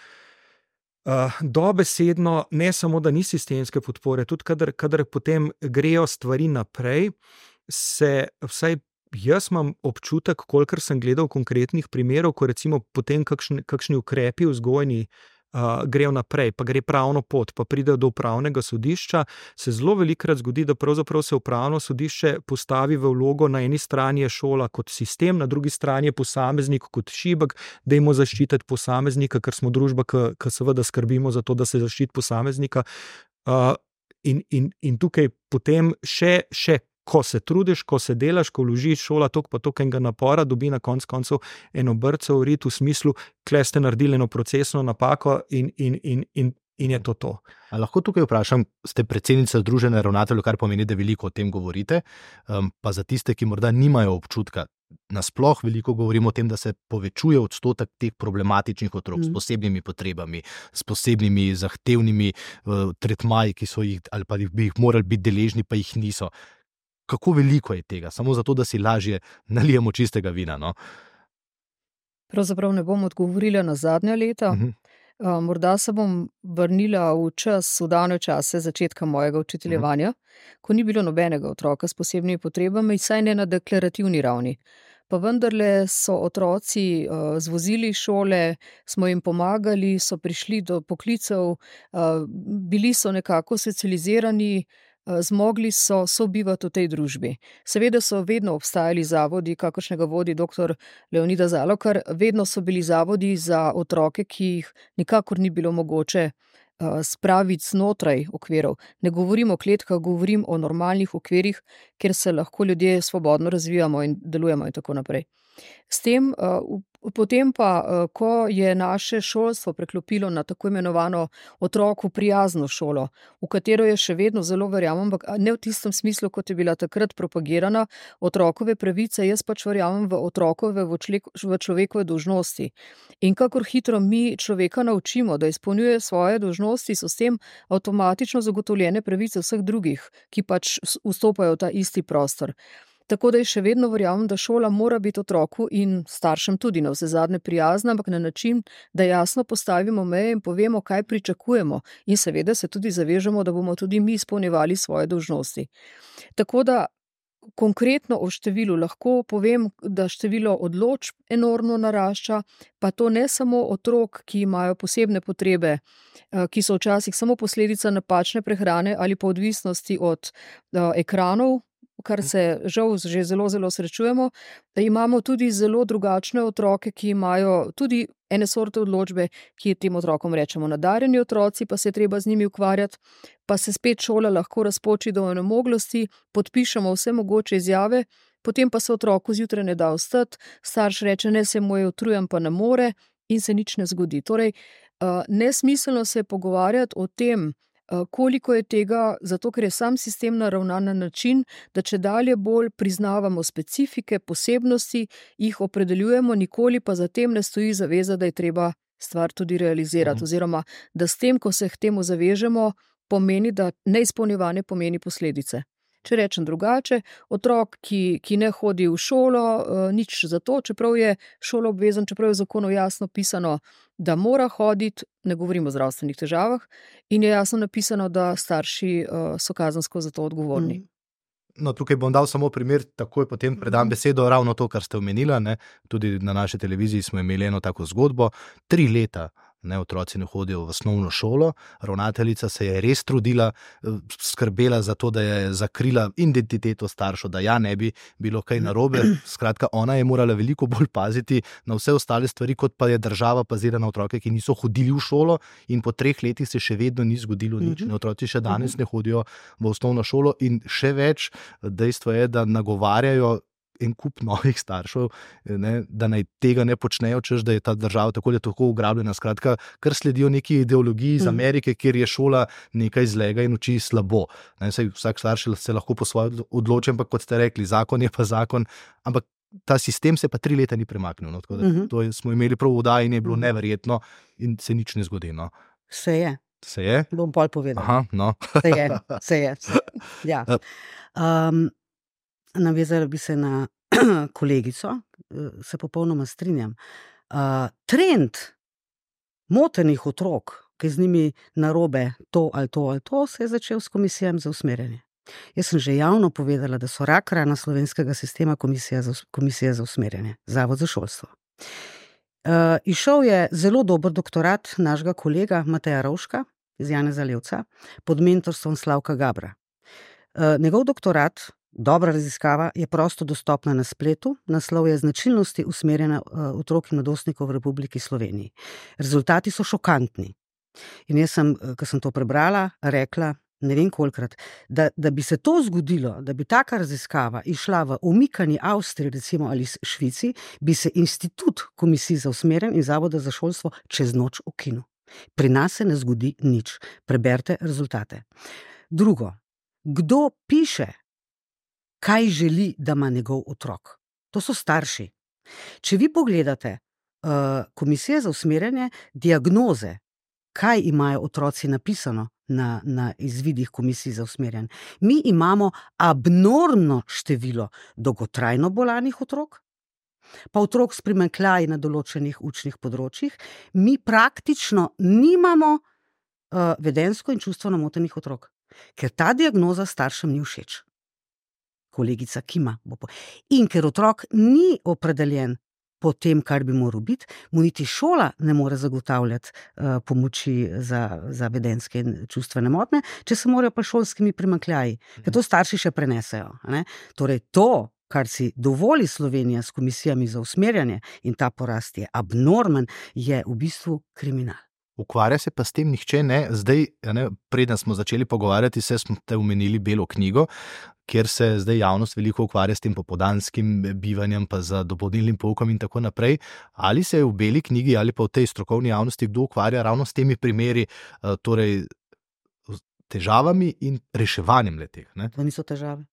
Uh, dobesedno, ne samo, da ni sistemske podpore, tudi kadar, kadar potem grejo stvari naprej, se vsaj jaz imam občutek, kolikor sem gledal konkretnih primerov, ko recimo potem kakšni, kakšni ukrepi vzgojni uh, grejo naprej, pa gre pravno pot, pa pridejo do upravnega sodišča, se zelo velikokrat zgodi, da pravzaprav se upravno sodišče postavi v vlogo, na eni strani je šola kot sistem, na drugi strani je posameznik kot šibek, dajmo zaščititi posameznika, ker smo družba, ki seveda skrbimo za to, da se zaščiti posameznika. Uh, in, in, in tukaj potem še, še ko se trudiš, ko se delaš, ko vložiš šola toliko pa toliko enega napora, dobi na konc koncev eno brco v rit v smislu, kle ste naredili eno procesno napako in, in, in, in, in je to to. A lahko tukaj vprašam, ste predsednica Združenja ravnateljev, kar pomeni, da veliko o tem govorite, um, pa za tiste, ki morda nimajo občutka, nasploh veliko govorimo o tem, da se povečuje odstotek teh problematičnih otrok mm. s posebnimi potrebami, s posebnimi zahtevnimi uh, tretmaji, ki so jih, ali pa bi jih morali biti deležni, pa jih niso. Kako veliko je tega? Samo zato, da si lažje nalijemo čistega vina. No? Pravzaprav ne bom odgovorila na zadnja leta. Uh-huh. Uh, morda se bom vrnila v čas, v davne čase začetka mojega učiteljevanja, uh-huh. ko ni bilo nobenega otroka s posebnimi potrebami, saj ne na deklarativni ravni. Pa vendarle so otroci uh, zvozili šole, smo jim pomagali, so prišli do poklicev, uh, bili so nekako socializirani, zmogli so sobivati v tej družbi. Seveda so vedno obstajali zavodi, kakršnega vodi doktor Leonida Zalokar, vedno so bili zavodi za otroke, ki jih nikakor ni bilo mogoče uh, spraviti znotraj okvirov. Ne govorim o kletkah, govorim o normalnih okvirih, kjer se lahko ljudje svobodno razvijamo in delujemo in tako naprej. S tem, uh, potem pa, uh, ko je naše šolstvo preklopilo na tako imenovano otroku prijazno šolo, v katero je še vedno zelo verjamem, ampak ne v tistem smislu, kot je bila takrat propagirana otrokove pravice, jaz pač verjamem v otrokove, v, člek, v človekove dolžnosti. In kakor hitro mi človeka naučimo, da izpolnjuje svoje dolžnosti, so s tem avtomatično zagotovljene pravice vseh drugih, ki pač vstopajo v ta isti prostor. Tako da je še vedno verjamem, da šola mora biti otroku in staršem tudi na vse zadnje prijazna, ampak na način, da jasno postavimo meje in povemo, kaj pričakujemo in seveda se tudi zavežemo, da bomo tudi mi izpolnjevali svoje dolžnosti. Tako da konkretno o številu lahko povem, da število odločb enormno narašča, pa to ne samo otrok, ki imajo posebne potrebe, ki so včasih samo posledica napačne prehrane ali pa odvisnosti od uh, ekranov, kar se žal že zelo, zelo srečujemo, da imamo tudi zelo drugačne otroke, ki imajo tudi ene sorte odločbe, ki tem otrokom rečemo nadarjeni otroci, pa se je treba z njimi ukvarjati, pa se spet šola lahko razpoči do onemoglosti, podpišemo vse mogoče izjave, potem pa se otroku zjutraj ne da vstati, starš reče, ne, se mu je utrujen, pa ne more in se nič ne zgodi. Torej, nesmiselno se je pogovarjati o tem, koliko je tega, zato ker je sam sistem naravnan na način, da če dalje bolj priznavamo specifike, posebnosti, jih opredeljujemo, nikoli pa zatem ne stoji zaveza, da je treba stvar tudi realizirati. Oziroma, da s tem, ko se k temu zavežemo, pomeni, da neizpolnjevanje pomeni posledice. Če rečem drugače, otrok, ki, ki ne hodi v šolo, nič za to, čeprav je šolo obvezen, čeprav je v zakonu jasno pisano, da mora hoditi, ne govorimo o zdravstvenih težavah, in je jasno napisano, da starši so kazensko za to odgovorni. No, tukaj bom dal samo primer, takoj potem predam besedo, ravno to, kar ste omenila, ne? Tudi na naši televiziji smo imeli eno tako zgodbo, tri leta ne, otroci ne hodijo v osnovno šolo, ravnateljica se je res trudila, skrbela za to, da je zakrila identiteto staršev, da ja ne bi bilo kaj narobe, skratka ona je morala veliko bolj paziti na vse ostale stvari, kot pa je država pazila na otroke, ki niso hodili v šolo in po treh letih se še vedno ni zgodilo nič, ne, otroci še danes ne hodijo v osnovno šolo in še več, dejstvo je, da nagovarjajo en kup novih staršev, ne, da naj tega ne počnejo, češ, da je ta država tako ali tako ugrabljena, skratka, kar sledijo neki ideologiji iz Amerike, kjer je šola nekaj zlega in uči slabo. Ne, saj vsak starš se lahko po svoje odloči, ampak kot ste rekli, zakon je pa zakon, ampak ta sistem se pa tri leta ni premaknil. No, tako da to smo imeli prav v oddaji in je bilo neverjetno in se nič ne zgodi. No. Se je. Se je? Bom pol povedal. Aha, no. Se je, se je. Se je. Ja. Um, navezala bi se na kolegico, se popolnoma strinjam. Uh, trend motenih otrok, ki z njimi narobe to ali to ali to, se je začel s komisijami za usmerjanje. Jaz sem že javno povedala, da so rak rana slovenskega sistema komisija za, komisija za usmerjanje, Zavod za šolstvo. Uh, izšel je zelo dober doktorat našega kolega Mateja Rovška iz Janeza Levca pod mentorstvom Slavka Gabra. Uh, njegov doktorat, dobra raziskava, je prosto dostopna na spletu, naslov je Značilnosti usmerjanja uh, otrok in mladostnikov v Republiki Sloveniji. Rezultati so šokantni. In jaz sem, ko sem to prebrala, rekla, ne vem kolikrat, da, da bi se to zgodilo, da bi taka raziskava išla v umikani Avstriji, recimo ali Švici, bi se institut komisij za usmerjanje in Zavoda za šolstvo čez noč ukinil. Pri nas se ne zgodi nič. Preberite rezultate. Drugo, kdo piše, kaj želi, da ima njegov otrok? To so starši. Če vi pogledate uh, komisije za usmerjanje, diagnoze, kaj imajo otroci napisano na, na izvidih komisij za usmerjanje. Mi imamo abnormno število dolgotrajno bolanih otrok, pa otrok s primanjkljaji na določenih učnih področjih. Mi praktično nimamo uh, vedenjsko in čustveno motenih otrok, ker ta diagnoza staršem ni všeč. Kolegica kima. In ker otrok ni opredeljen po tem, kar bi moral biti, mu niti šola ne more zagotavljati uh, pomoči za, za vedenjske in čustvene motnje, če se morajo pa šolskimi primanjkljaji, ker to starši še prenesejo. Ne? Torej to, kar si dovoli Slovenija s komisijami za usmerjanje in ta porast je abnormen, je v bistvu kriminal. Ukvarja se pa s tem nihče ne. Zdaj, ne, preden smo začeli pogovarjati, se smo te omenili Belo knjigo, kjer se zdaj javnost veliko ukvarja s tem popoldanskim bivanjem, pa z dopolnilnim poukom in tako naprej. Ali se je v Beli knjigi ali pa v tej strokovni javnosti kdo ukvarja ravno s temi primeri, torej težavami in reševanjem leteh? Ne? To niso težave.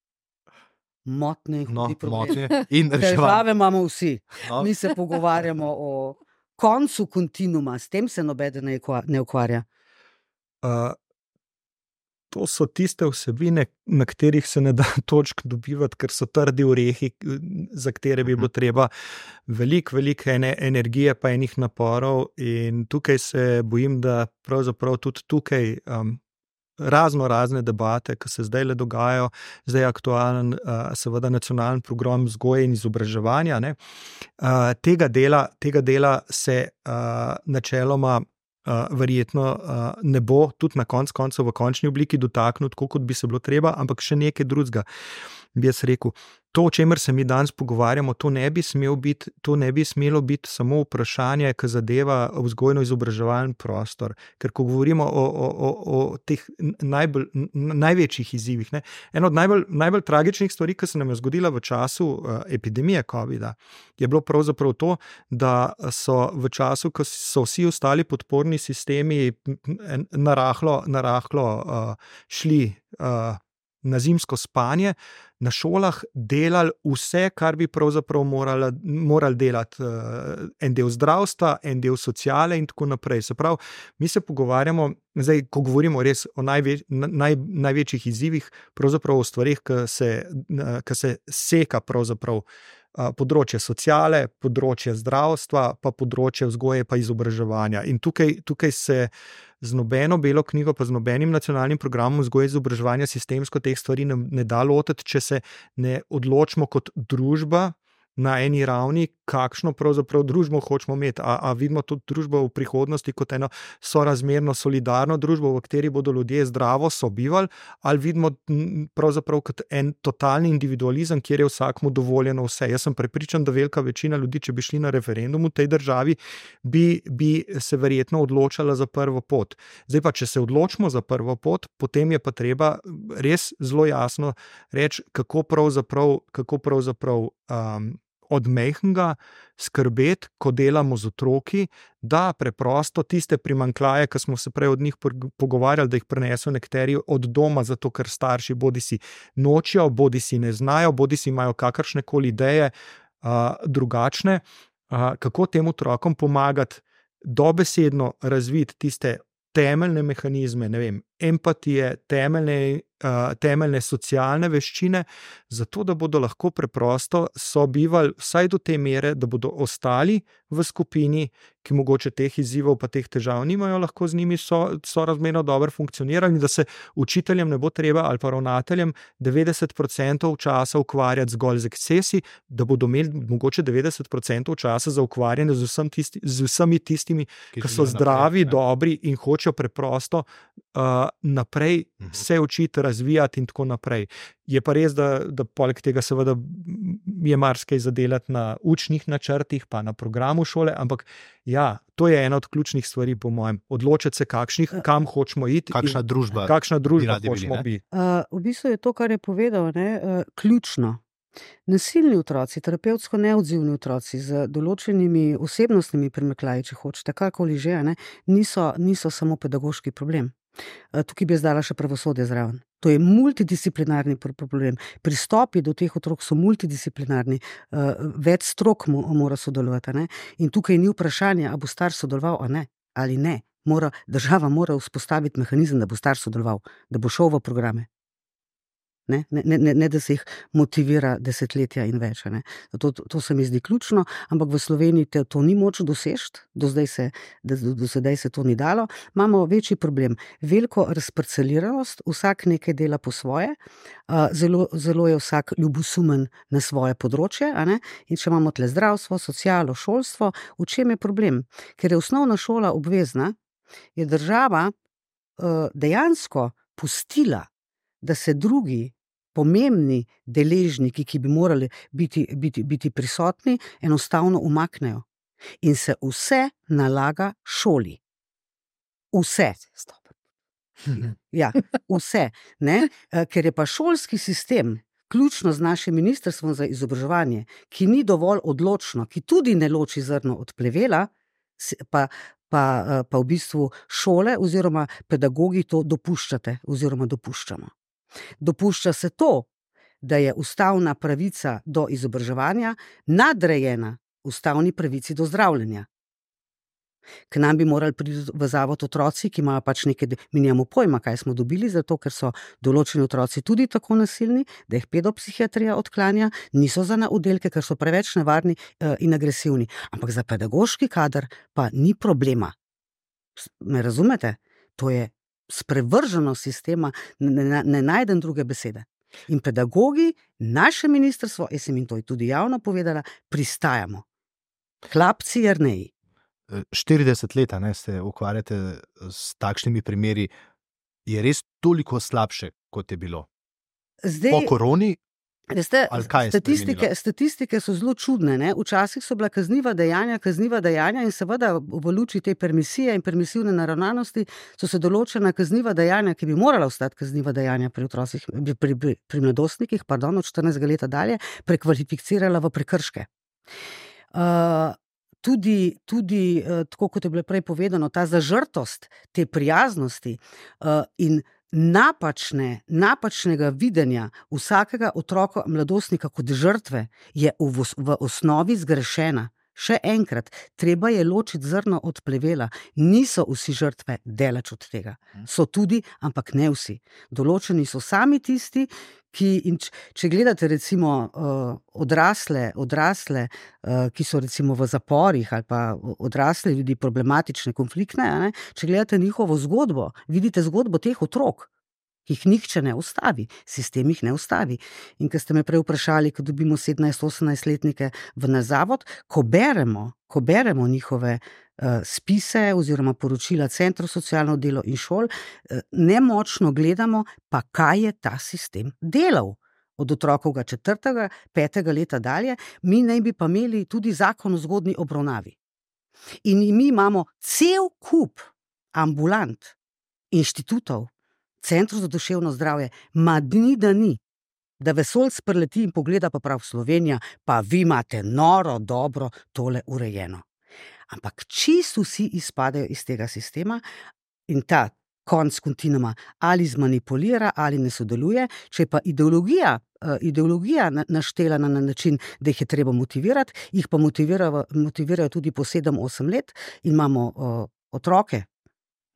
Motne, no, motne in reševanje. Težave imamo vsi. No. Mi se pogovarjamo o koncu kontinuma, s tem se nobeden ne ukvarja. Uh, to so tiste vsebine, na katerih se ne da točk dobivati, ker so trdi orehi, za katere bi bilo treba veliko, veliko energije pa enih naporov, in tukaj se bojim, da pravzaprav tudi tukaj um, razno razne debate, ki se zdaj le dogajajo, zdaj je aktualen uh, seveda nacionalni program vzgoje in izobraževanja, ne, uh, tega dela, tega dela se uh, načeloma uh, verjetno uh, ne bo tudi na konc koncev v končni obliki dotaknut, kot bi se bilo treba, ampak še nekaj drugega bi jaz rekel. To, o čemer se mi danes pogovarjamo, to ne bi smelo biti, to ne bi smelo biti samo vprašanje, ki zadeva vzgojno-izobraževalni prostor. Ker ko govorimo o, o, o, o teh najbolj, največjih izzivih, ne, eno od najbolj, najbolj tragičnih stvari, ki se nam je zgodila v času uh, epidemije covida, je bilo pravzaprav to, da so v času, ko so vsi ostali podporni sistemi narahlo, narahlo uh, šli uh, na zimsko spanje, na šolah delali vse, kar bi pravzaprav morali, morali delati. En del zdravstva, en del sociale in tako naprej. Se pravi, mi se pogovarjamo, zdaj, ko govorimo res o največ, naj, največjih izzivih, pravzaprav o stvarih, ki se, ki se seka pravzaprav področje sociale, področje zdravstva, pa področje vzgoje pa izobraževanja. In tukaj, tukaj se z nobeno Belo knjigo, pa z nobenim nacionalnim programom vzgoje in izobraževanja sistemsko teh stvari ne, ne da lotiti, če se ne odločimo kot družba na eni ravni, kakšno pravzaprav družbo hočemo imeti. A, a vidimo to družbo v prihodnosti kot eno sorazmerno solidarno družbo, v kateri bodo ljudje zdravo sobivali, ali vidimo pravzaprav kot en totalni individualizem, kjer je vsakmu dovoljeno vse. Jaz sem prepričan, da velika večina ljudi, če bi šli na referendum v tej državi, bi, bi se verjetno odločala za prvo pot. Zdaj pa, če se odločimo za prvo pot, potem je pa treba res zelo jasno reči, kako pravzaprav, kako pravzaprav um, od mehkega skrbeti, ko delamo z otroki, da preprosto tiste primanjkljaje, ki smo se prej od njih pogovarjali, da jih preneso nekateri od doma, zato ker starši bodi si nočijo, bodi si ne znajo, bodi si imajo kakršne koli ideje uh, drugačne, uh, kako tem otrokom pomagati dobesedno razviti tiste temeljne mehanizme, ne vem, empatije, temeljne, uh, temeljne socialne veščine, zato da bodo lahko preprosto sobivali vsaj do te mere, da bodo ostali v skupini, ki mogoče teh izzivov pa teh težav nimajo, lahko z njimi so, so razmerno dobro funkcionirali, da se učiteljem ne bo treba ali pa ravnateljem devetdeset procentov časa ukvarjati zgolj z ekscesi, da bodo imeli mogoče devetdeset procentov časa za ukvarjanje z, vsem tisti, z vsemi tistimi, ki, ki so zdravi, naprej, dobri in hočejo preprosto uh, naprej uh-huh. se učiti, razvijati in tako naprej. Je pa res, da, da poleg tega seveda je marsikaj zadelati na učnih načrtih, pa na programu šole, ampak ja, to je ena od ključnih stvari, po mojem. Odločiti se, kakšnih, kam hočemo iti. Kakšna družba, kakšna družba hočemo biti. Uh, v bistvu je to, kar je povedal, ne, uh, ključno. Nasilni otroci, terapevtsko neodzivni otroci z določenimi osebnostnimi primekljaji, če hočete, kakoli že, ne, niso, niso samo pedagoški problem. Tukaj bi jaz dala še pravosodje zraven. To je multidisciplinarni problem. Pristopi do teh otrok so multidisciplinarni. Več strok mora sodelovati. Ne? In tukaj ni vprašanja, a bo starš sodeloval a ne, ali ne. Mora, država mora vzpostaviti mehanizem, da bo starš sodeloval, da bo šel v programe. Ne, ne, ne, ne da se jih motivira desetletja in več. Ne. To, to se mi zdi ključno, ampak v Sloveniji te, to ni moč doseči, do zdaj se, do, do sedaj se to ni dalo. Imamo večji problem, veliko razparceliranost, vsak nekaj dela po svoje, zelo, zelo je vsak ljubosumen na svoje področje, a ne? In če imamo tle zdravstvo, socialo, šolstvo, v čem je problem? Ker je osnovna šola obvezna, je država dejansko pustila, da se drugi pomembni deležniki, ki bi morali biti, biti, biti prisotni, enostavno umaknejo. In se vse nalaga šoli. Vse. Ja, vse. Ne? Ker je pa šolski sistem, ključno z našim ministrstvom za izobraževanje, ki ni dovolj odločno, ki tudi ne loči zrno od plevela, pa, pa, pa v bistvu šole oziroma pedagogi to dopuščate oziroma dopuščamo. Dopušča se to, da je ustavna pravica do izobraževanja nadrejena ustavni pravici do zdravljenja. K nam bi morali priti v zavod otroci, ki imajo pač nekaj, mi nimamo pojma, kaj smo dobili, zato ker so določeni otroci tudi tako nasilni, da jih pedopsihiatrija odklanja, niso za na oddelke, ker so preveč nevarni in agresivni. Ampak za pedagoški kader pa ni problema. Me razumete? To je sprevrženo sistema, ne, ne, ne najdem druge besede. In pedagogi, naše ministrstvo, jaz sem jim to tudi javno povedala, pristajamo. Hlapci Jerneji. štirideset let ne, se ukvarjate s takšnimi primeri. Je res toliko slabše, kot je bilo? Zdaj, po koroni? Veste, statistike, statistike so zelo čudne. Ne? Včasih so bila kazniva dejanja, kazniva dejanja in seveda v luči te permisije in permisivne naravnanosti so se določena kazniva dejanja, ki bi morala ostati kazniva dejanja pri otrocih, pri, pri, pri mladostnikih, pardon, od štirinajstega leta dalje, prekvalificirala v prekrške. Uh, tudi, tudi uh, tako kot je bilo prej povedano, ta zažrtost, te prijaznosti uh, in Napačne, napačnega videnja vsakega otroka, mladostnika kot žrtve je v, v osnovi zgrešena. Še enkrat, treba je ločiti zrno od plevela. Niso vsi žrtve, daleč od tega. So tudi, ampak ne vsi. Določeni so sami tisti, ki, in č, če gledate recimo uh, odrasle, odrasle uh, ki so recimo v zaporih ali pa odrasle ljudi problematične, konfliktne, ne? Če gledate njihovo zgodbo, vidite zgodbo teh otrok, ki jih nihče ne ustavi, sistem jih ne ustavi. In ko ste me prej vprašali, ko dobimo sedemnajst-osemnajstletnike v naš zavod, ko beremo, ko beremo njihove uh, spise oziroma poročila centrov socialno delo in šol, uh, nemočno gledamo, pa kaj je ta sistem delal. Od otrokovega četrtega, petega leta dalje, mi naj bi pa imeli tudi zakon o zgodnji obravnavi. In mi imamo cel kup ambulant, inštitutov, centrov za duševno zdravje, ma dni da ni, da vesoljc preleti in pogleda pa prav Slovenija, pa vi imate noro, dobro, tole urejeno. Ampak čisto vsi izpadejo iz tega sistema in ta konc kontinuuma ali zmanipulira ali ne sodeluje, če pa ideologija, uh, ideologija naštela na način, da jih je treba motivirati, jih pa motivirajo, motivirajo tudi po sedem osem let in imamo uh, otroke,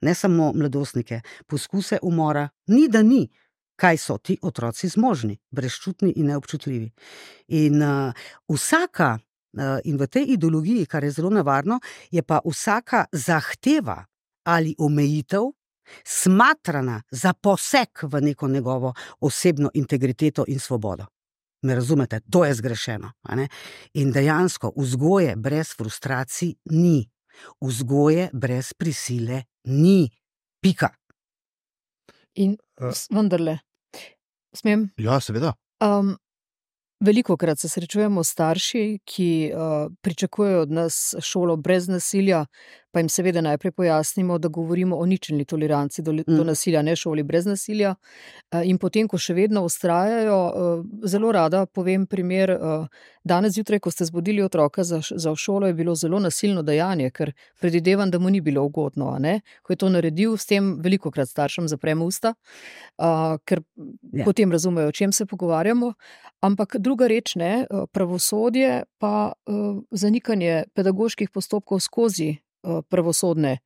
ne samo mladostnike, poskuse umora, ni da ni, kaj so ti otroci zmožni, brezčutni in neobčutljivi. In uh, vsaka, uh, in v tej ideologiji, kar je zelo nevarno, je pa vsaka zahteva ali omejitev smatrana za poseg v neko njegovo osebno integriteto in svobodo. Me razumete? To je zgrešeno. A ne? In dejansko vzgoje brez frustracij ni. Vzgoje brez prisile ni. Pika. In vendarle, smem? Ja, seveda. Um, Velikokrat se srečujemo starši, ki uh, pričakujejo od nas šolo brez nasilja, pa jim seveda najprej pojasnimo, da govorimo o ničelni toleranci do, do nasilja, ne šoli brez nasilja. Uh, in potem, ko še vedno vztrajajo, uh, zelo rada povem primer, uh, danes zjutraj, ko ste zbudili otroka za, za šolo, je bilo zelo nasilno dejanje, ker predvidevam, da mu ni bilo ugodno. A ne? Ko je to naredil, s tem velikokrat staršem zapremo usta, uh, ker ja. Potem razumejo, o čem se pogovarjamo. Ampak druga reč, ne, pravosodje pa uh, zanikanje pedagoških postopkov skozi uh, pravosodne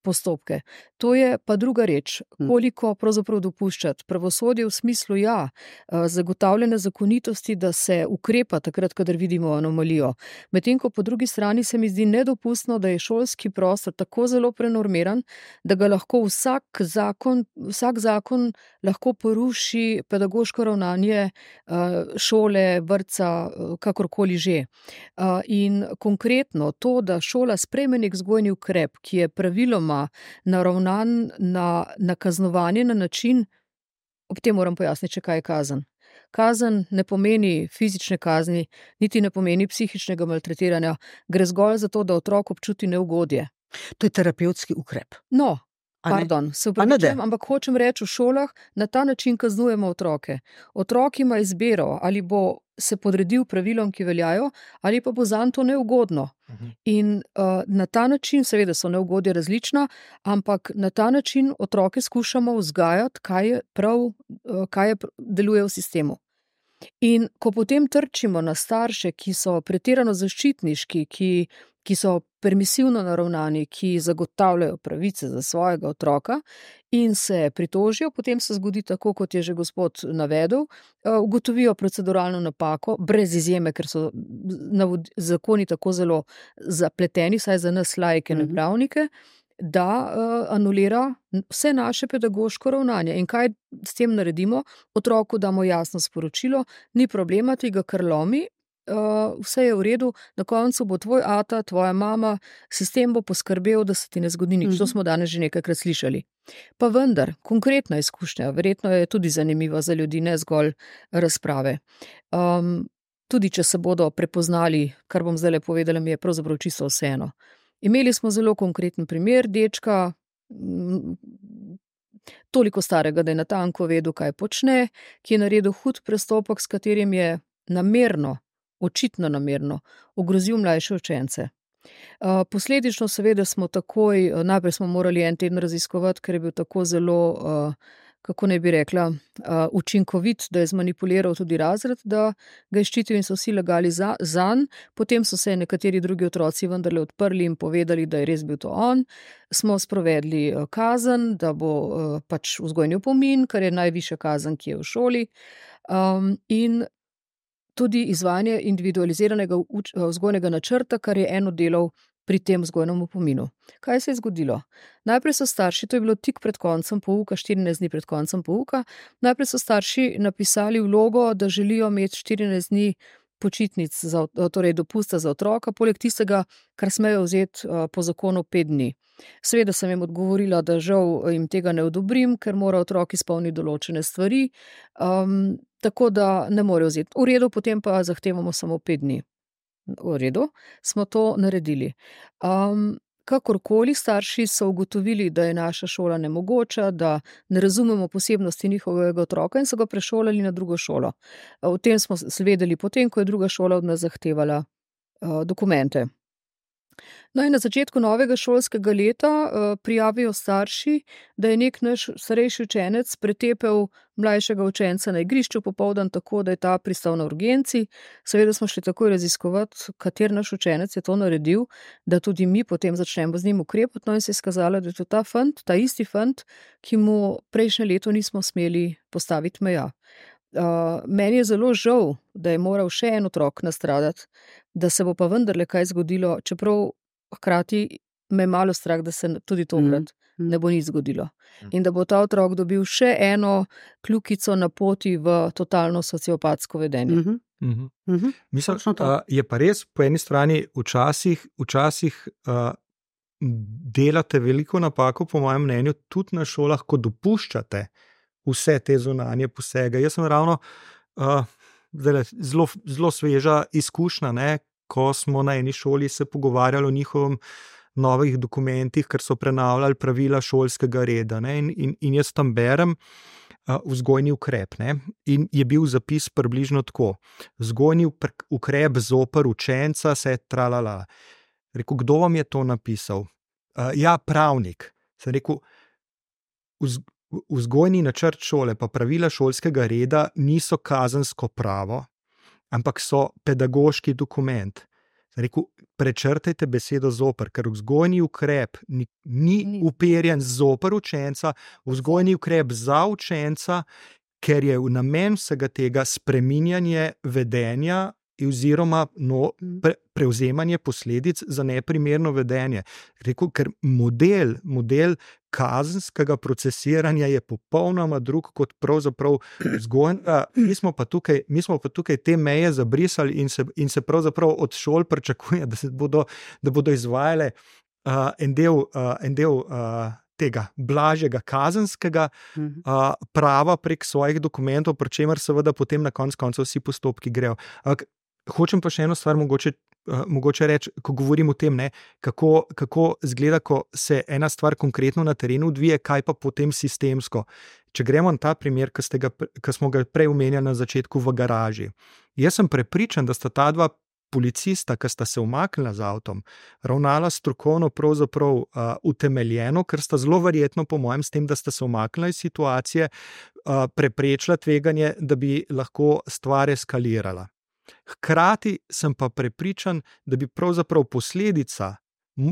postopke. To je pa druga reč, koliko pravzaprav dopuščati. Pravosodje v smislu, ja, zagotavljene zakonitosti, da se ukrepa takrat, kadar vidimo anomalijo. Medtem ko po drugi strani se mi zdi nedopustno, da je šolski prostor tako zelo prenormiran, da ga lahko vsak zakon, vsak zakon lahko poruši pedagoško ravnanje šole, vrtca, kakorkoli že. In konkretno to, da šola sprejme nek vzgojni ukrep, ki je praviloma naravnan na, na kaznovanje na način, ob tem moram pojasniti, če kaj je kazen. Kazen ne pomeni fizične kazni, niti ne pomeni psihičnega maltretiranja, gre zgolj za to, da otrok občuti neugodje. To je terapevtski ukrep. No, pardon, se upravičujem, ampak hočem reči, v šolah na ta način kaznujemo otroke. Otrok ima izbiro, ali bo se podredil pravilom, ki veljajo, ali pa bo zanj to neugodno. Uh-huh. In uh, na ta način, seveda so neugodje različna, ampak na ta način otroke skušamo vzgajati, kaj je prav, uh, kaj je deluje v sistemu. In ko potem trčimo na starše, ki so pretirano zaščitniški, ki, ki so permisivno naravnani, ki zagotavljajo pravice za svojega otroka in se pritožijo, potem se zgodi tako, kot je že gospod navedel, ugotovijo proceduralno napako, brez izjeme, ker so zakoni tako zelo zapleteni, saj za nas laike, ne pravnike, da uh, anulira vse naše pedagoško ravnanje. In kaj s tem naredimo? Otroku damo jasno sporočilo, ni problema, ti ga kar lomi, uh, vse je v redu, na koncu bo tvoj ata, tvoja mama, sistem bo poskrbel, da se ti ne zgodi nič. Mm-hmm. To smo danes že nekajkrat slišali. Pa vendar, konkretna izkušnja, verjetno je tudi zanimiva za ljudi, ne zgolj razprave. Um, tudi, če se bodo prepoznali, kar bom zdaj le povedala, mi je pravzaprav čisto vseeno. Imeli smo zelo konkreten primer dečka, toliko starega, da je natanko vedel, kaj počne, ki je naredil hud prestopek, s katerim je namerno, očitno namerno, ogrozil mlajše učence. Posledično seveda smo takoj, najprej smo morali en teden raziskovati, ker je bil tako zelo, kako ne bi rekla, učinkovit, da je zmanipuliral tudi razred, da ga je ščitil in so vsi lagali za, zanj. Potem so se nekateri drugi otroci vendarle odprli in povedali, da je res bil to on. Smo sprovedli kazen, da bo pač vzgojni opomin, kar je najvišja kazen, ki je v šoli. Um, in tudi izvajanje individualiziranega vzgojnega načrta, kar je eno delov pri tem vzgojnem opominu. Kaj se je zgodilo? Najprej so starši, to je bilo tik pred koncem pouka, štirinajst dni pred koncem pouka, najprej so starši napisali vlogo, da želijo imeti štirinajst dni počitnic, za, torej dopusta za otroka, poleg tistega, kar smejo vzeti po zakonu pet dni. Seveda sem jim odgovorila, da žal jim tega ne odobrim, ker mora otrok izpolniti določene stvari, um, tako da ne morejo vzeti. V redu, potem pa zahtevamo samo pet dni. V redu, smo to naredili. Um, kakorkoli starši so ugotovili, da je naša šola nemogoča, da ne razumemo posebnosti njihovega otroka in so ga prešolali na drugo šolo. O tem smo svedeli potem, ko je druga šola od nas zahtevala uh, dokumente. No in na začetku novega šolskega leta uh, prijavijo starši, da je nek naš starejši učenec pretepel mlajšega učenca na igrišču popoldan tako, da je ta pristal na urgenci. Seveda smo šli takoj raziskovati, kater naš učenec je to naredil, da tudi mi potem začnemo z njim ukrepati. No in se je skazalo, da je to ta fant, ta isti fant, ki mu prejšnje leto nismo smeli postaviti meja. Uh, meni je zelo žal, da je moral še en otrok nastradati, da se bo pa vendarle kaj zgodilo, čeprav hkrati me je malo strah, da se tudi tokrat mm. ne bo nič zgodilo. Mm. In da bo ta otrok dobil še eno kljukico na poti v totalno sociopatsko vedenje. Mhm. Mhm. Mhm. Mislim, Točno to. uh, je pa res po eni strani včasih, včasih uh, delate veliko napako, po mojem mnenju, tudi na šolah, ko dopuščate vse te zunanje posege. Jaz sem ravno uh, zdaj, zelo, zelo sveža izkušnja, ne, ko smo na eni šoli se pogovarjali o njihovem novih dokumentih, ker so prenavljali pravila šolskega reda. Ne, in, in, in jaz tam berem uh, vzgojni ukrep. Ne, in je bil zapis približno tako. Vzgojni ukrep zoper učenca se tralala. Rekel, kdo vam je to napisal? Uh, ja, pravnik. Sem rekel, vz, vzgojni načrt šole pa pravila šolskega reda niso kazensko pravo, ampak so pedagoški dokument. Sem rekel, prečrtajte besedo zoper, ker vzgojni ukrep ni, ni, ni. uperjen zoper učenca, vzgojni ukrep za učenca, ker je v namen vsega tega spreminjanje vedenja oziroma no, pre, prevzemanje posledic za neprimerno vedenje. Rekel, ker model, model kazenskega procesiranja je popolnoma drug kot pravzaprav vzgojnega. Mi smo pa tukaj, mi smo pa tukaj te meje zabrisali in se, in se pravzaprav od šol pričakuje, da se bodo, da bodo izvajale uh, en del, uh, en del uh, tega blažjega kazenskega uh, prava prek svojih dokumentov, pri čemer seveda potem na koncu koncev vsi postopki grejo. Ampak hočem pa še eno stvar mogoče, uh, mogoče reči, ko govorim o tem, ne, kako, kako zgleda, ko se ena stvar konkretno na terenu odvije, kaj pa potem sistemsko. Če gremo na ta primer, ki, ste ga, ki smo ga prej omenjali na začetku v garaži. Jaz sem prepričan, da sta ta dva policista, ki sta se umaknila z avtom, ravnala strokovno pravzaprav uh, utemeljeno, ker sta zelo verjetno, po mojem, s tem, da sta se umaknila iz situacije, uh, preprečila tveganje, da bi lahko stvar eskalirala. Hkrati sem pa prepričan, da bi pravzaprav posledica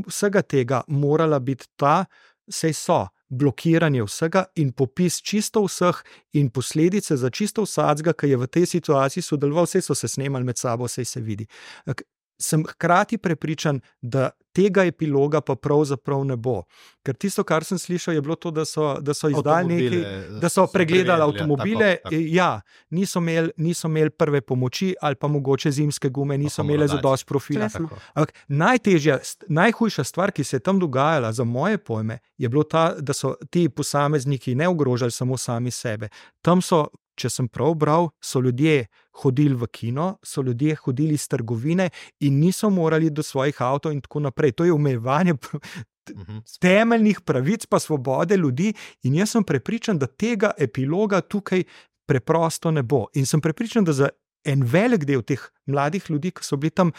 vsega tega morala biti ta, saj so blokiranje vsega in popis čisto vseh in posledice za čisto vsakega, ki je v tej situaciji sodeloval, vse so se snemali med sabo, vse se vidi. Sem hkrati prepričan, da tega epiloga pa pravzaprav ne bo. Ker tisto, kar sem slišal, je bilo to, da so, da so izdali nekaj, da so pregledali avtomobile, tako, tako. Ja, niso imeli, niso imeli prve pomoči ali pa mogoče zimske gume, niso imeli zadosti profila. Najtežja, najhujša stvar, ki se je tam dogajala za moje pojme, je bilo ta, da so ti posamezniki ne ogrožali samo sami sebe. Tam so, če sem prav bral, so ljudje hodili v kino, so ljudje hodili iz trgovine in niso morali do svojih avtov in tako naprej. To je omejevanje temeljnih pravic pa svobode ljudi in jaz sem prepričan, da tega epiloga tukaj preprosto ne bo. In sem prepričan, da za en velik del teh mladih ljudi, ki so bili tam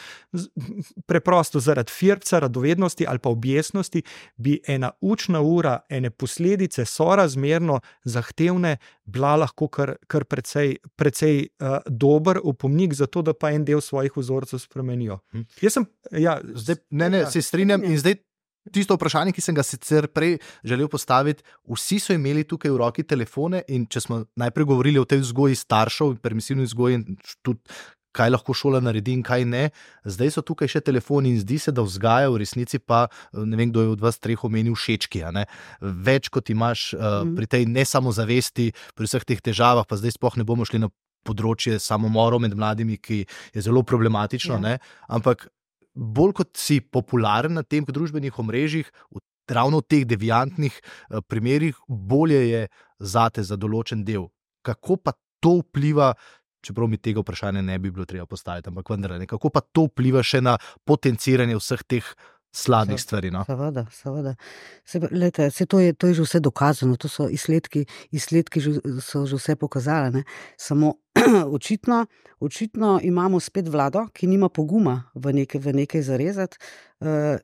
preprosto zaradi firca, radovednosti ali pa objesnosti, bi ena učna ura, ene posledice sorazmerno zahtevne, bila lahko kar, kar precej, precej uh, dober opomnik za to, da pa en del svojih vzorcev spremenijo. Hm. Jaz sem, ja, zdaj, ne, ne, se strinjam in zdaj tisto vprašanje, ki sem ga sicer prej želel postaviti, vsi so imeli tukaj v roki telefone in če smo najprej govorili o tej vzgoji staršev, permisivni vzgoji in tudi kaj lahko šola naredi in kaj ne, zdaj so tukaj še telefoni in zdi se, da vzgaja v resnici pa, ne vem, kdo je od vas treh omenil všečki, a ne? Več kot imaš uh, pri tej nesamozavesti, pri vseh teh težavah, pa zdaj sploh ne bomo šli na področje samomorov med mladimi, ki je zelo problematično, ja. Ne? Ampak bolj kot si popularen na tem družbenih omrežjih, ravno v teh deviantnih primerih, bolje je zate za določen del. Kako pa to vpliva, čeprav mi tega vprašanja ne bi bilo treba postaviti, ampak vendar, ne, kako pa to vpliva še na potenciranje vseh teh slabih stvari. No? Seveda, seveda. Se, lejte, se to, je, to je že vse dokazano, to so izsledki, izsledki že, so že vse pokazali. Ne? Samo očitno, očitno imamo spet vlado, ki nima poguma v nekaj, v nekaj zarezati. Uh,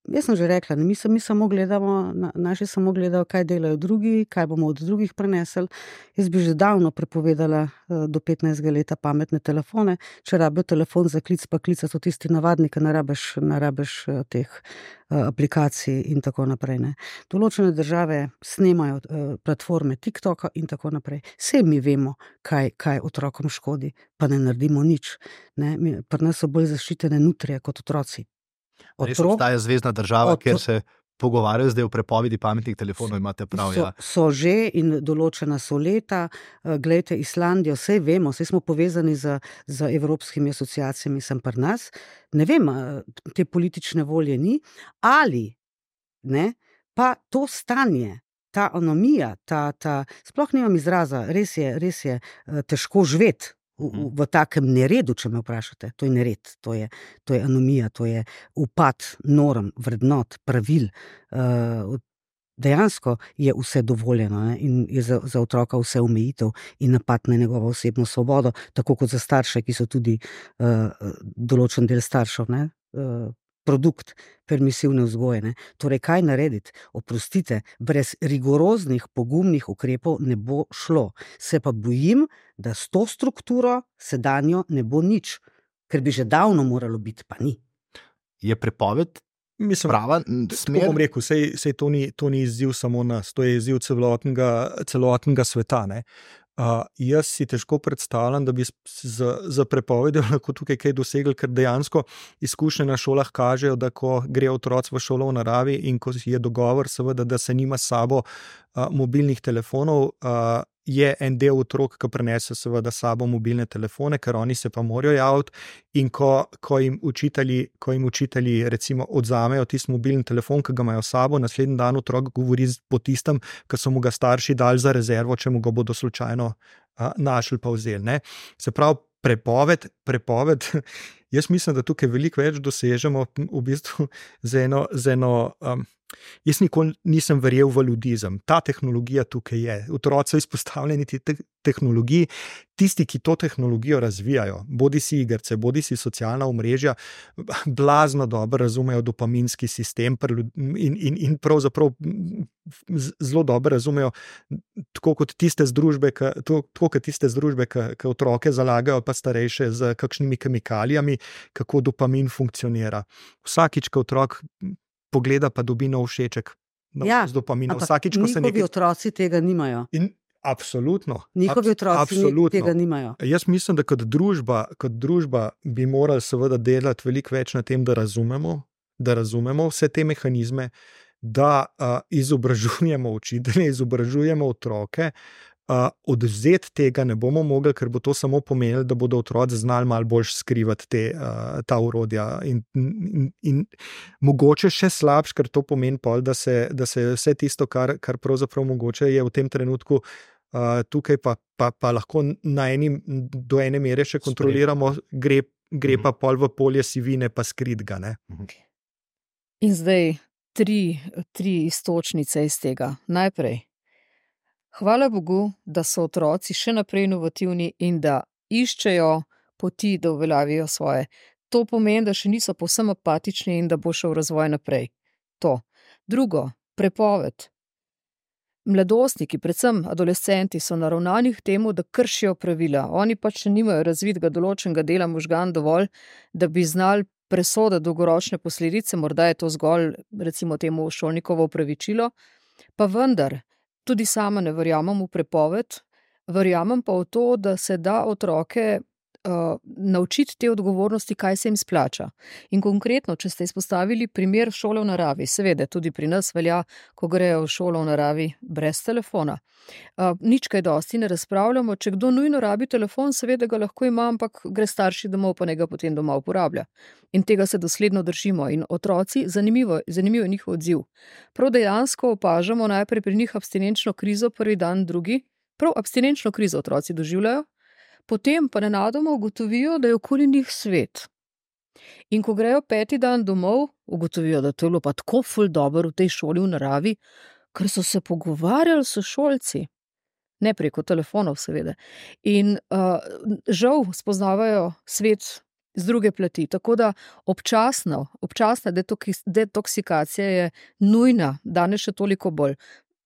Jaz sem že rekla, mi, mi samo gledamo, naši samo gledajo, kaj delajo drugi, kaj bomo od drugih prenesli. Jaz bi že davno prepovedala do petnajstega leta pametne telefone. Če rabijo telefon za klic, pa klica so tisti navadni, ki ne rabiš, ne rabiš teh aplikacij in tako naprej. Ne. Določene države snemajo platforme TikToka in tako naprej. Vse mi vemo, kaj, kaj otrokom škodi, pa ne naredimo nič. Ne. Pri nas so bolj zaščitene nutrije kot otroci. Res obstaja zvezna država, Otro... kjer se pogovarjajo zdaj o prepovedi pametnih telefonov, imate prav. So, ja. so že in določena so leta. Glejte, Islandijo, vse vemo, vse smo povezani z, z evropskimi asociacijami, sem pri nas. Ne vem, te politične volje ni. Ali ne, pa to stanje, ta anomija, ta, ta, sploh nimam izraza, res je, res je težko živeti. V, v, v takem neredu, če me vprašate, to je nered, to je, to je anomija, to je upad norm, vrednot, pravil. Uh, dejansko je vse dovoljeno, ne? In je za, za otroka vse omejitev in napad na njegovo osebno svobodo, tako kot za starše, ki so tudi uh, določen del staršev, ne? Uh, produkt permisivne vzgoje. Ne? Torej, kaj narediti? Oprostite, brez rigoroznih, pogumnih ukrepov ne bo šlo. Se pa bojim, da s to strukturo sedanjo ne bo nič, ker bi že davno moralo biti, pa ni. Je prepoved Mislim, prava smer? Bom rekel, sej, sej to, ni, to ni izziv samo nas, to je izziv celotnega, celotnega sveta. Ne? Uh, jaz si težko predstavljam, da bi z, z prepovedjo lahko tukaj kaj dosegli, ker dejansko izkušnje na šolah kažejo, da ko gre otroci v šolo v naravi in ko je dogovor, seveda, da se nima s sabo uh, mobilnih telefonov, uh, je en del otrok, ki prenese seveda s sabo mobilne telefone, ker oni se pa morajo javiti in ko, ko jim učitelji, ko jim učitelji recimo odzamejo tisti mobilni telefon, ki ga imajo s sabo, naslednji dan otrok govori po tistem, ki so mu ga starši dali za rezervo, če mu ga bodo slučajno a, našli pa vzeli. Ne? Se pravi, prepoved, prepoved, jaz mislim, da tukaj veliko več dosežemo v bistvu z eno, z eno um, jaz nikoli nisem verjel v ludizem. Ta tehnologija tukaj je. Otroci so izpostavljeni te tehnologiji. Tisti, ki to tehnologijo razvijajo, bodi si igrce, bodi si socialna omrežja, blazno dobro razumejo dopaminski sistem in, in, in pravzaprav zelo dobro razumejo, tako kot tiste združbe, ki, tako kot tiste združbe, ki, ki otroke zalagajo, pa starejše z kakšnimi kemikalijami, kako dopamin funkcionira. Vsakič, ko otrok pogleda, pa dobi nov všeček ja, z dopaminom. Vsakič, ko se nekaj... Njihovi otroci tega nimajo. In absolutno. Njihovi otroci absolutno. tega nimajo. Jaz mislim, da kot družba, kot družba bi morali seveda delati veliko več na tem, da razumemo, da razumemo vse te mehanizme, da uh, izobražujemo učitelje, izobražujemo otroke. Uh, odvzeti tega ne bomo mogli, ker bo to samo pomenilo, da bodo otroci znali malo bolj skrivati te, uh, ta urodja in, in, in mogoče še slabš, ker to pomeni pol, da se, da se vse tisto, kar, kar pravzaprav mogoče je v tem trenutku uh, tukaj pa, pa, pa lahko na eni, do ene mere še kontroliramo, gre, gre pa pol v polje sivine pa skrit ga. Ne? In zdaj tri, tri istočnice iz tega. Najprej. Hvala Bogu, da so otroci še naprej inovativni in da iščejo poti, da uveljavijo svoje. To pomeni, da še niso povsem apatični in da bo šel razvoj naprej. To. Drugo, prepoved. Mladostniki, predvsem adolescenti, so naravnani k temu, da kršijo pravila. Oni pač nimajo razvitega določenega dela možgan dovolj, da bi znali presoditi dolgoročne posledice, morda je to zgolj, recimo temu, šolnikovo opravičilo, pa vendar, tudi sama ne verjamem v prepoved, verjamem pa v to, da se da otroke uh, naučiti te odgovornosti, kaj se jim splača. In konkretno, če ste izpostavili primer šole v naravi, seveda tudi pri nas velja, ko grejo v šolo v naravi brez telefona. Uh, nič kaj dosti ne razpravljamo, če kdo nujno rabi telefon, seveda ga lahko ima, ampak gre starši domov, pa ne ga potem doma uporablja. In tega se dosledno držimo. In otroci, zanimivo, zanimivo je njihov odziv. Prav dejansko opažamo najprej pri njih abstinenčno krizo, prvi dan, drugi. Prav abstinenčno krizo otroci doživljajo, potem pa nenadoma ugotovijo, da je okoli njih svet. In ko grejo peti dan domov, ugotovijo, da to je bilo pa tako ful dobro v tej šoli v naravi, ker so se pogovarjali s šolci. Ne preko telefonov, seveda. In uh, žal spoznavajo svet z druge plati. Tako da občasno, občasna detoksikacija je nujna, danes še toliko bolj.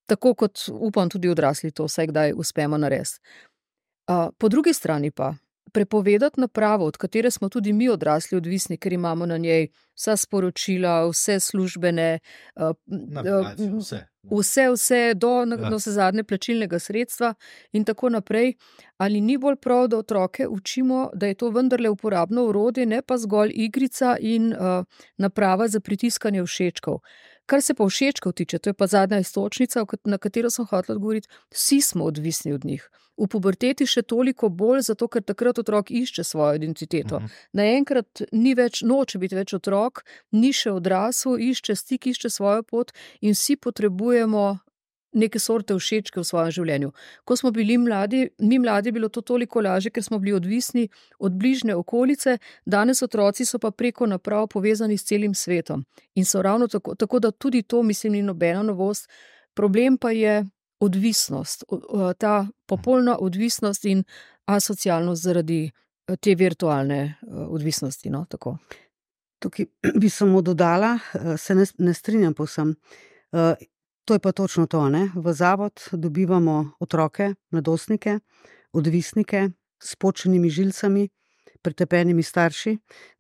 Tako kot upam tudi odrasli to vsaj kdaj uspemo narediti. Uh, po drugi strani pa prepovedati napravo, od katere smo tudi mi odrasli odvisni, ker imamo na njej vsa sporočila, vse službene, uh, Navigacijo, vse. vse, vse do, ja. do se zadnje plačilnega sredstva in tako naprej. Ali ni bolj prav, da otroke učimo, da je to vendarle uporabno orodje, ne pa zgolj igrica in uh, naprava za pritiskanje všečkov. Kar se pa všečkov tiče, to je pa zadnja istočnica, na katero sem hotela odgovoriti, vsi smo odvisni od njih. V puberteti še toliko bolj, zato ker takrat otrok išče svojo identiteto. Uh-huh. Naenkrat ni več, noče biti več otrok, ni še odrasel, išče stik, išče svojo pot in vsi potrebujemo neke sorte všečke v svojem življenju. Ko smo bili mladi, mi mladi, bilo to toliko lažje, ker smo bili odvisni od bližnje okolice, danes otroci so pa preko naprav povezani s celim svetom. In so ravno tako, tako da tudi to, mislim, ni nobena novost. Problem pa je odvisnost, ta popolna odvisnost in asocialnost zaradi te virtualne odvisnosti. No, tako. Tukaj bi samo dodala, se ne, ne strinjam povsem. To je pa točno to, ne? V zavod dobivamo otroke, mladostnike, odvisnike s počenimi žilcami, pretepenimi starši.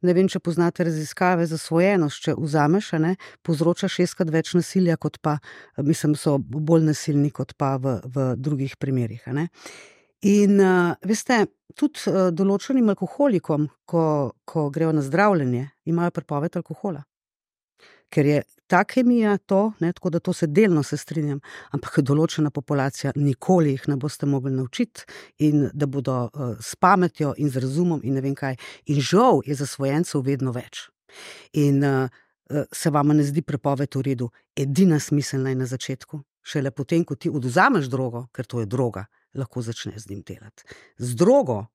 Ne vem, če poznate raziskave, zasvojenost, če vzameš, ne, povzroča šestkrat več nasilja, kot pa, mislim, so bolj nasilni, kot pa v, v drugih primerih. Ne? In uh, veste, tudi uh, določenim alkoholikom, ko, ko grejo na zdravljenje, imajo prepoved alkohola. Ker je ta kemija to, ne, tako da to se delno se strinjam, ampak določena populacija, nikoli jih ne boste mogli naučiti in da bodo uh, s pametjo in z razumom in ne vem kaj. In žal je zasvojencev vedno več. In uh, uh, se vama ne zdi prepoved v redu, edina smiselna je na začetku. Šele potem, ko ti odvzameš drogo, ker to je droga, lahko začneš z njim delati. Z drogo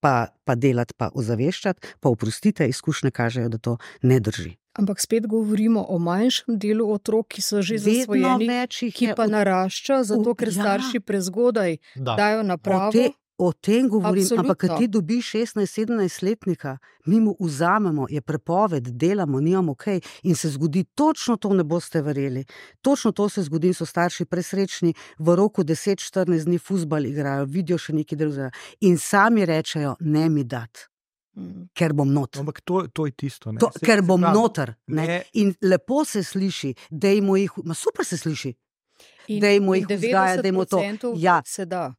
pa, pa delati, pa ozaveščati, pa oprostite, izkušnje kažejo, da to ne drži. Ampak spet govorimo o manjšem delu otrok, ki so že zasvojeni, ki pa od... narašča, zato ker ja. starši prezgodaj da. dajo napravo. O, te, o tem govorim, Absolutno. Ampak kad ti dobiš šestnajst sedemnajst letnika, mi mu vzamemo, je prepoved, delamo, nijamo kaj in se zgodi, točno to ne boste verjeli. Točno to se zgodi, so starši presrečni, v roku deset štirinajst dni fuzbal igrajo, vidijo še nekaj drugega in sami rečejo, ne mi dat. Ker bom noter. Ampak to, to je tisto. To, ker bom noter. Ne? Ne. In lepo se sliši, dejmo jih, ma super se sliši, dejmo jih vzgaja, dejmo to. Ja,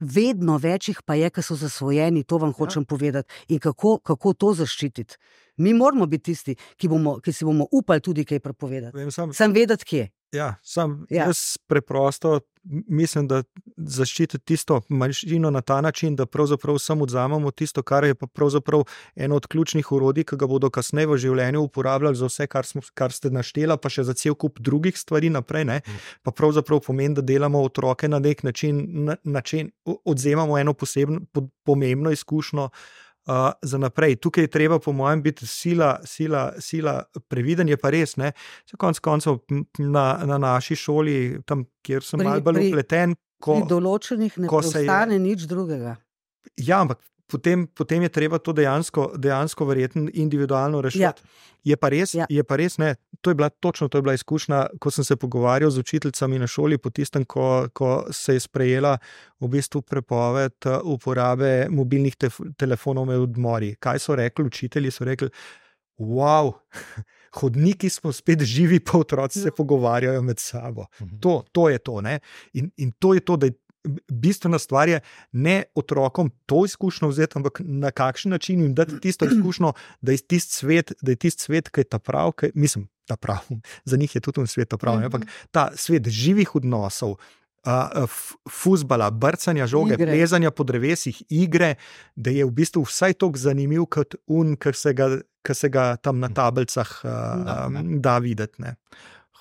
vedno večjih pa je, ki so zasvojeni, to vam hočem ja. povedati. In kako, kako to zaščititi? Mi moramo biti tisti, ki, bomo, ki si bomo upali tudi kaj prepovedati. Vem, sam, sam vedeti, kje. Ja, sam ja. jaz preprosto mislim, da zaščititi tisto manjšino na ta način, da pravzaprav samo odzamemo tisto, kar je pa pravzaprav eno od ključnih orodij, ki ga bodo kasneje v življenju uporabljali za vse, kar, smo, kar ste naštela, pa še za cel kup drugih stvari naprej, ne? Pa pravzaprav pomeni, da delamo otroke na nek način, na, način odzemamo eno posebno, pomembno izkušnjo Uh, za naprej. Tukaj je treba, po mojem, biti sila, sila, sila previden, je pa res, ne, se konc koncev na, na naši šoli, tam, kjer sem malo bolj upleten, ko... Pri določenih ne postane je... nič drugega. Ja, ampak potem, potem je treba to dejansko, dejansko verjetno individualno rešiti. Ja. Je pa res, ja. je pa res, ne, to je bila točno, to je bila izkušnja, ko sem se pogovarjal z učiteljicami na šoli, po tistem, ko, ko se je sprejela v bistvu prepoved uporabe mobilnih te, telefonov med odmori. Kaj so rekli učitelji? So rekli, wow, hodniki smo spet živi, pa otroci se pogovarjajo med sabo. To, to je to, ne, in, in to je to, da je bistvena stvar je ne otrokom to izkušnjo vzeti, ampak na kakšen način jim dati tisto izkušnjo, da je tisti svet, da je tisti svet, ki je ta prav, ki, mislim, ta prav, za njih je tudi svet ta prav, mm-hmm. ampak ta svet živih odnosov, uh, fuzbala, brcanja žoge, igre. Plezanja po drevesih, igre, da je v bistvu vsaj toliko zanimiv kot un, kar se ga, kar se ga tam na tablicah uh, da, da videti. Ne.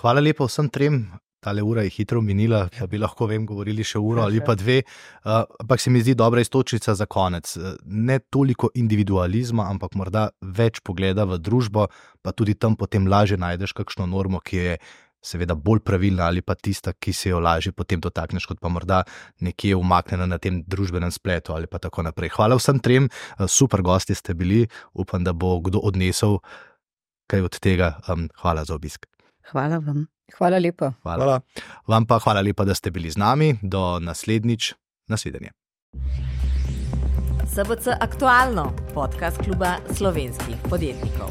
Hvala lepa vsem trem tale ura je hitro minila, ja bi lahko vem, govorili še uro ali pa dve, uh, ampak se mi zdi dobra istočnica za konec. Ne toliko individualizma, ampak morda več pogleda v družbo, pa tudi tam potem lažje najdeš kakšno normo, ki je seveda bolj pravilna ali pa tista, ki se jo lažje potem dotakneš, kot pa morda nekje umaknjena na tem družbenem spletu ali pa tako naprej. Hvala vsem trem, super gosti ste bili, upam, da bo kdo odnesel kaj od tega. Um, hvala za obisk. Hvala vam. Hvala lepa. Hvala. Hvala. Vam pa hvala lepa, da ste bili z nami. Do naslednjič. Nasvidenje. S B C Aktualno, podcast kluba slovenskih podjetnikov.